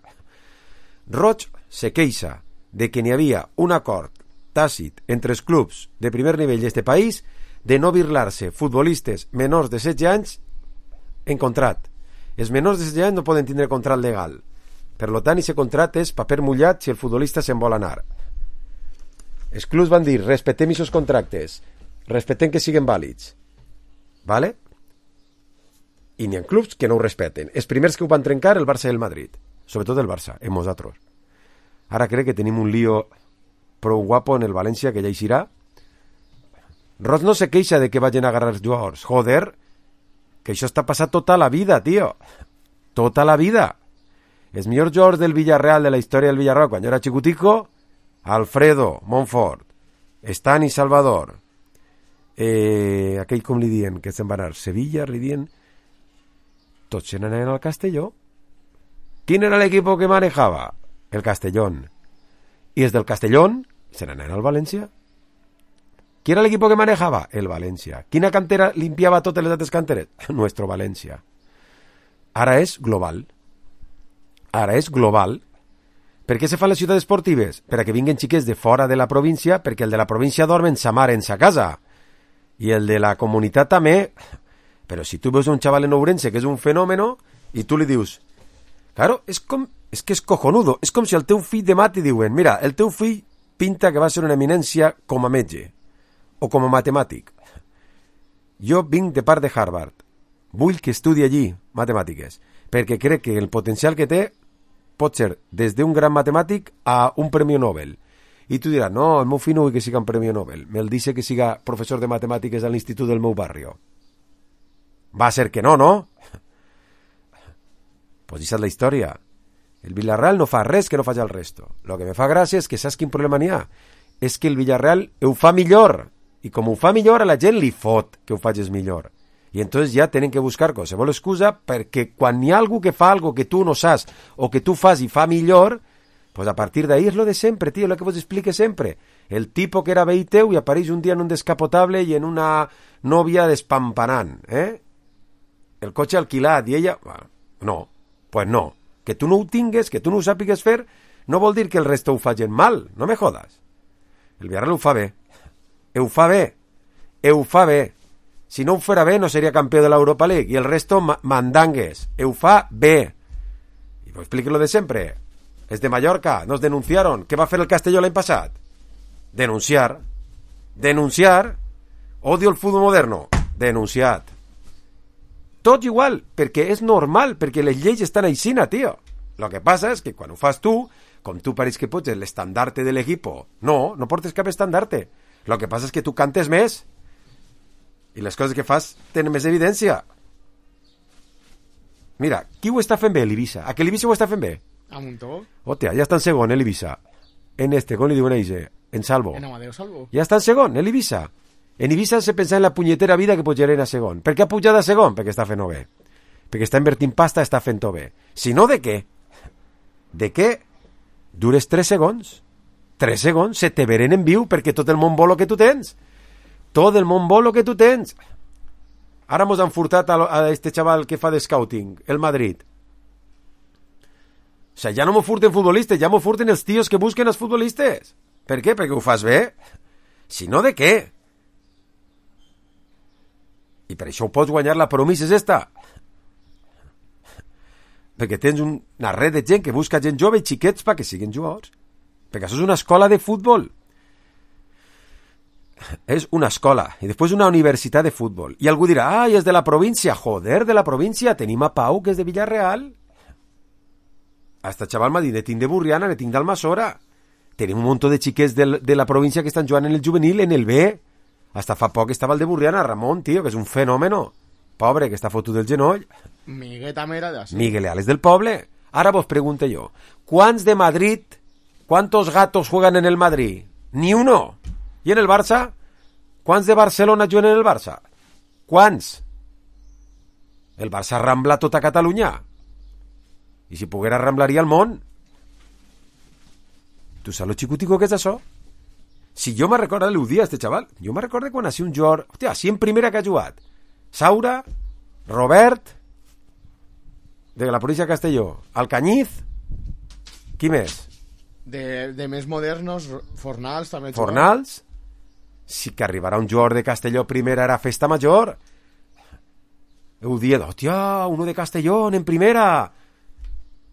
Roig se queixa de que n'hi havia un acord tàcit entre els clubs de primer nivell d'este país de no birlar-se futbolistes menors de 16 anys en contrat. Els menors de 16 anys no poden tindre contrat legal. Per tant, aquest contrat és paper mullat si el futbolista se'n vol anar. Els clubs van dir, respetem aquests contractes, respetem que siguin vàlids. Vale? I n'hi ha clubs que no ho respeten. Els primers que ho van trencar, el Barça i el Madrid. Sobretot el Barça, en nosaltres. Ara crec que tenim un lío prou guapo en el València que ja hi serà. Ross no se queixa de que vagin a agarrar jugadors. Joder, que això està passat tota la vida, tio. Tota la vida. Els millors jugadors del Villarreal, de la història del Villarreal, quan jo era xicutico, Alfredo, Montfort, Stan i Salvador, aquell com li dien, que se'n va anar, Sevilla, li dien, tots se n'anaven al Castelló. ¿Quién era el equipo que manejaba? El Castellón. Y desde el Castellón se n'anaven al València. ¿Qui era el equipo que manejaba? El València. ¿Quina cantera limpiava totes les altres canteres? Nuestro València. Ara és global. Ara és global. Per què se fan les ciutats esportives? Per a que vinguen xiquets de fora de la província, perquè el de la província dorm en sa mare, en sa casa. I el de la comunitat també. Però si tu veus un xaval en Ourense que és un fenòmeno i tu li dius... Claro, és que és cojonudo. És com si el teu fill demà t'hi diuen mira, el teu fill pinta que va ser una eminència com a metge o com a matemàtic. Jo vinc de part de Harvard. Vull que estudi allí matemàtiques, perquè crec que el potencial que té pot ser des d'un gran matemàtic a un premi Nobel. I tu diràs, no, el meu fill no vull que siga un premi Nobel. Me'l dice que siga professor de matemàtiques a l'institut del meu barrio. Va ser que no, no? Pues aquesta és la història. El Villarreal no fa res que no faci el resto. Lo que me fa gràcia és que saps quin problema n'hi ha? És que el Villarreal ho fa millor. I com ho fa millor, a la gent li fot que ho facis millor. I entonces ja tenen que buscar qualsevol excusa perquè quan hi ha algú que fa algo que tu no saps o que tu fas i fa millor, pues a partir d'ahí és lo de sempre, tío, lo que vos explique sempre. El tipo que era veí teu i apareix un dia en un descapotable i en una nòvia despampanant, el cotxe alquilat i ella... No, pues no. Que tu no ho tingues, que tu no ho sàpigues fer, no vol dir que el resto ho facin mal, no me jodas. El Villarreal ho fa bé. Ho fa bé. Ho fa bé. Si no ho farà bé no seria campió de l'Europa League i el resto mandangues. Ho fa bé. I vos explico lo de sempre. Es de Mallorca, nos denunciaron. ¿Qué va a hacer el Castelló l'any passat? Denunciar. Denunciar. Odio el fútbol moderno. Denunciat. Tot igual, perquè és normal, perquè les lleis estan aixina, tio. Lo que passa és que quan ho fas tu, com tu pareix que pots l'estandarte de l'equipo, no portes cap estandarte. Lo que passa és que tu cantes més i les coses que fas tenen més evidència. Mira, qui ho està fent bé, l'Ibiza? A que l'Ibiza ho està fent bé? A Montó. Hòstia, ja està en segon, l'Ibiza. En com li diuen ells, en Salvo. En Amadeo Salvo. Ja està en segon, l'Ibiza. En Ibiza se pensa en la punyetera vida que pujarien a segon. Per què ha pujat a segon? Perquè està fent-ho bé. Perquè està invertint pasta, està fent-ho bé. Si no, de què? De què? Dures 3 segons. 3 segons, se te veren en viu perquè tot el món vol lo que tu tens. Tot el món vol lo que tu tens. Ara mos han furtat a este xaval que fa de scouting, el Madrid. O sea, ja no m'ho furten futbolistes, ja m'ho furten els tios que busquen els futbolistes. Per què? Perquè ho fas bé? Si no, de què? I per això ho pots guanyar, la promesa és esta. Perquè tens una red de gent que busca gent jove i xiquets perquè siguin jugadors. Perquè això és una escola de futbol. És una escola i després una universitat de futbol. I algú dirà, ai, és de la província. Joder, de la província. Tenim a Pau, que és de Villarreal. Hasta xaval m'ha dit, ne tinc de Burriana, ne tinc d'Almassora. Tenim un munt de xiquets de la província que estan jugant en el juvenil, en el B. Hasta fa poc estava el de Burriana, Ramon, tio, que és un fenòmeno. Pobre, que està fotut del genoll. Miguel també era d'ací. Miguel Leal és del poble. Ara vos pregunto jo, ¿cuántos de Madrid, cuántos gatos juegan en el Madrid? Ni uno. ¿Y en el Barça? ¿Cuántos de Barcelona juguen en el Barça? ¿Cuántos? El Barça rambla tota Catalunya. I si poguera ramblaria el món. Tu saps lo xicutico que és això? Si jo me recordo, l'ho dia, este xaval, jo me recordo quan hacía un jugador, hòstia, així en primera que ha jugat. Saura, Robert, de la província de Castelló, Alcañiz, qui més? De més modernos, Fornals també. Fornals? Si que arribarà un jugador de Castelló primera era festa major. Ho dia, hòstia, uno de Castelló en primera.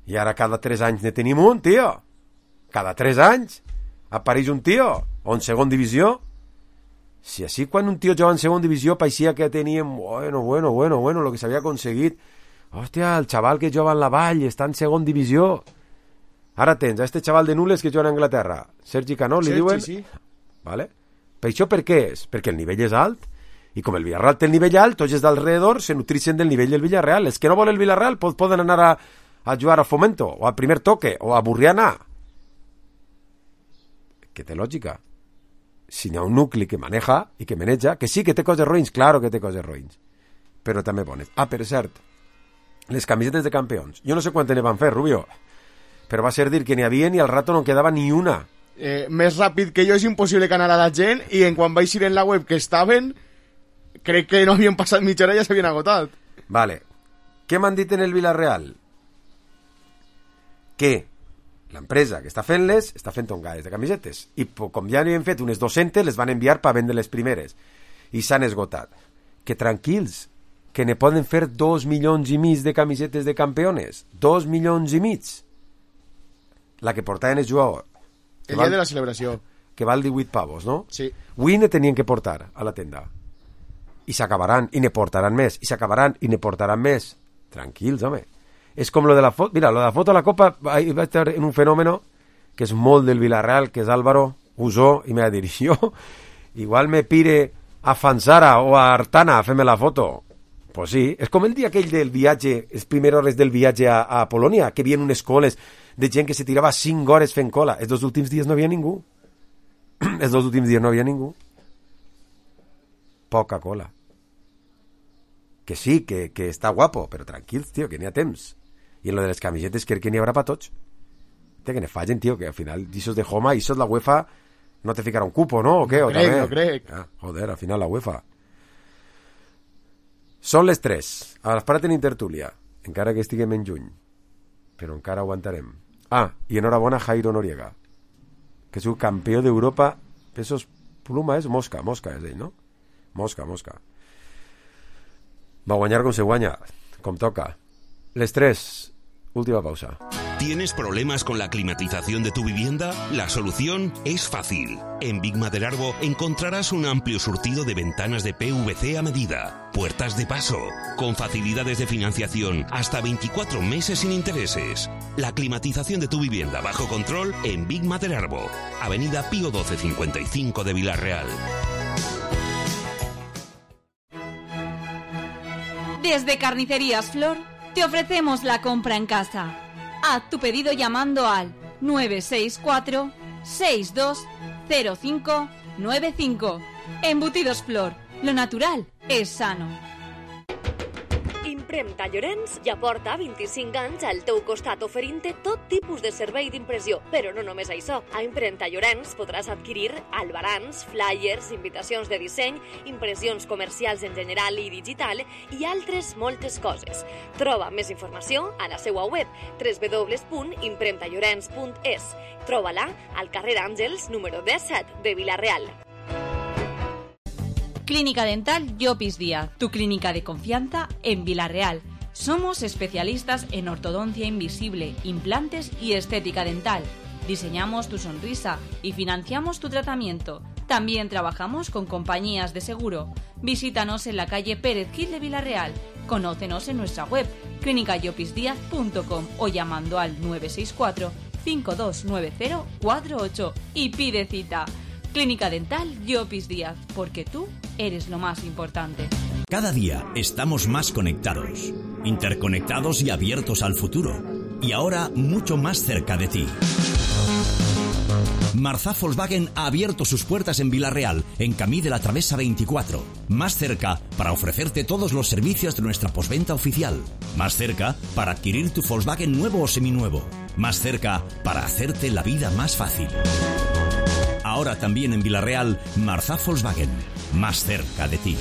I ara cada 3 anys ne tenim un, tio. Cada 3 anys apareix un tio. O en segon divisió. Si així quan un tio jugava en segon divisió paeixia que teníem, bueno, lo que s'havia aconseguit. Hòstia, el xaval que jugava en la Vall està en segon divisió. Ara tens a este xaval de Nules que juga a Anglaterra, Sergi Canó, li diuen? Sí. Vale? Per això per què és? Perquè el nivell és alt. I com el Villarreal té el nivell alt, tots els d'alrededor se nutrixen del nivell del Villarreal. Els que no volen el Villarreal poden anar a jugar a Fomento, o a Primer Toque, o a Burriana. Que té lògica. Si hi ha un nucli que maneja i que maneja, que sí que té coses roïns, claro que té coses roïns, però també bones. Ah, per cert, les camisetes de campions. Jo no sé quantes ne van fer, Rubio, però va ser dir que n'hi havia i al rato no en quedava ni una. Més ràpid que jo és impossible que anara la gent i en quan vaig ir en la web que estaven, crec que no havien passat mitja hora i ja s'havien agotat. Vale. Què m'han dit en el Villarreal? Que l'empresa que està fent-les està fent tongades de camisetes i com ja n'havien fet unes 200 les van enviar per vendre les primeres i s'han esgotat. Que tranquils, que ne poden fer 2,5 milions de camisetes de campeones. 2,5 milions. La que portaven el jugador. El dia de la celebració. Que val 18 pavos, no? Sí. Avui ne tenien que portar a la tenda. I s'acabaran, i ne portaran més. I s'acabaran, i ne portaran més. Tranquils, home. És com lo de la foto. Mira, lo de la foto a la Copa va estar en un fenòmeno que és molt del Villarreal, que és Álvaro Usó, i me va dir, jo igual me pire a Fansara o a Artana a fer-me la foto. Pues sí, és com el dia aquell del viatge, les primeres hores del viatge a Polònia, que havien unes coles de gent que se tirava 5 hores fent cola. Els 2 últims dies no havia ningú. Els 2 últims dies no havia ningú. Poca cola. Que sí, que està guapo, però tranquils, tio, que n'hi ha temps. I en lo de les camisetes crec que n'hi haurà per tots. Que ne fallen, tio, que al final d'aixòs de Homa, d'aixòs la UEFA no te ficarà un cupo, ¿no? ¿O què? No crec. Ah, joder, al final la UEFA. Són les 3. A l'esperat tenim tertúlia, encara que estiguem en juny. Però encara aguantarem. Ah, i enhorabona Jairo Noriega, que és un campió d'Europa pesos pluma, és Mosca és ell, no? Mosca. Va guanyar com se guanya, com toca. Les 3, última pausa. ¿Tienes problemas con la climatización de tu vivienda? La solución es fácil. En Big Madelarbo encontrarás un amplio surtido de ventanas de PVC a medida, puertas de paso, con facilidades de financiación hasta 24 meses sin intereses. La climatización de tu vivienda bajo control en Big Madelarbo, Avenida Pío XII 55 de Villarreal. Desde Carnicerías Flor te ofrecemos la compra en casa. Haz tu pedido llamando al 964-620595. Embutidos Flor, lo natural es sano. Impremta Llorenç ja porta 25 anys al teu costat oferint-te tot tipus de servei d'impressió. Però no només això. A Impremta Llorenç podràs adquirir albarans, flyers, invitacions de disseny, impressions comercials en general i digital i altres moltes coses. Troba més informació a la seva web www.impremtallorens.es. Troba-la al carrer Àngels, número 17 de Vila-real. Clínica Dental Llopis Díaz, tu clínica de confianza en Vila-real. Somos especialistas en ortodoncia invisible, implantes y estética dental. Diseñamos tu sonrisa y financiamos tu tratamiento. También trabajamos con compañías de seguro. Visítanos en la calle Pérez Gil de Vila-real. Conócenos en nuestra web clinicayopisdiaz.com o llamando al 964-529048 y pide cita. Clínica Dental Llopis Díaz, porque tú eres lo más importante. Cada día estamos más conectados, interconectados y abiertos al futuro. Y ahora mucho más cerca de ti. Marzà Volkswagen ha abierto sus puertas en Vila-real, en Camí de la Travesa 24. Más cerca para ofrecerte todos los servicios de nuestra postventa oficial. Más cerca para adquirir tu Volkswagen nuevo o seminuevo. Más cerca para hacerte la vida más fácil. Ahora también en Vila-real, Marzà Volkswagen. Más cerca de ti.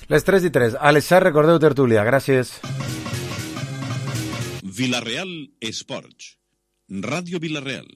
Les 3:03. Alexar, recordeu tertúlia. Gràcies. Vila-real Esports. Ràdio Vila-real.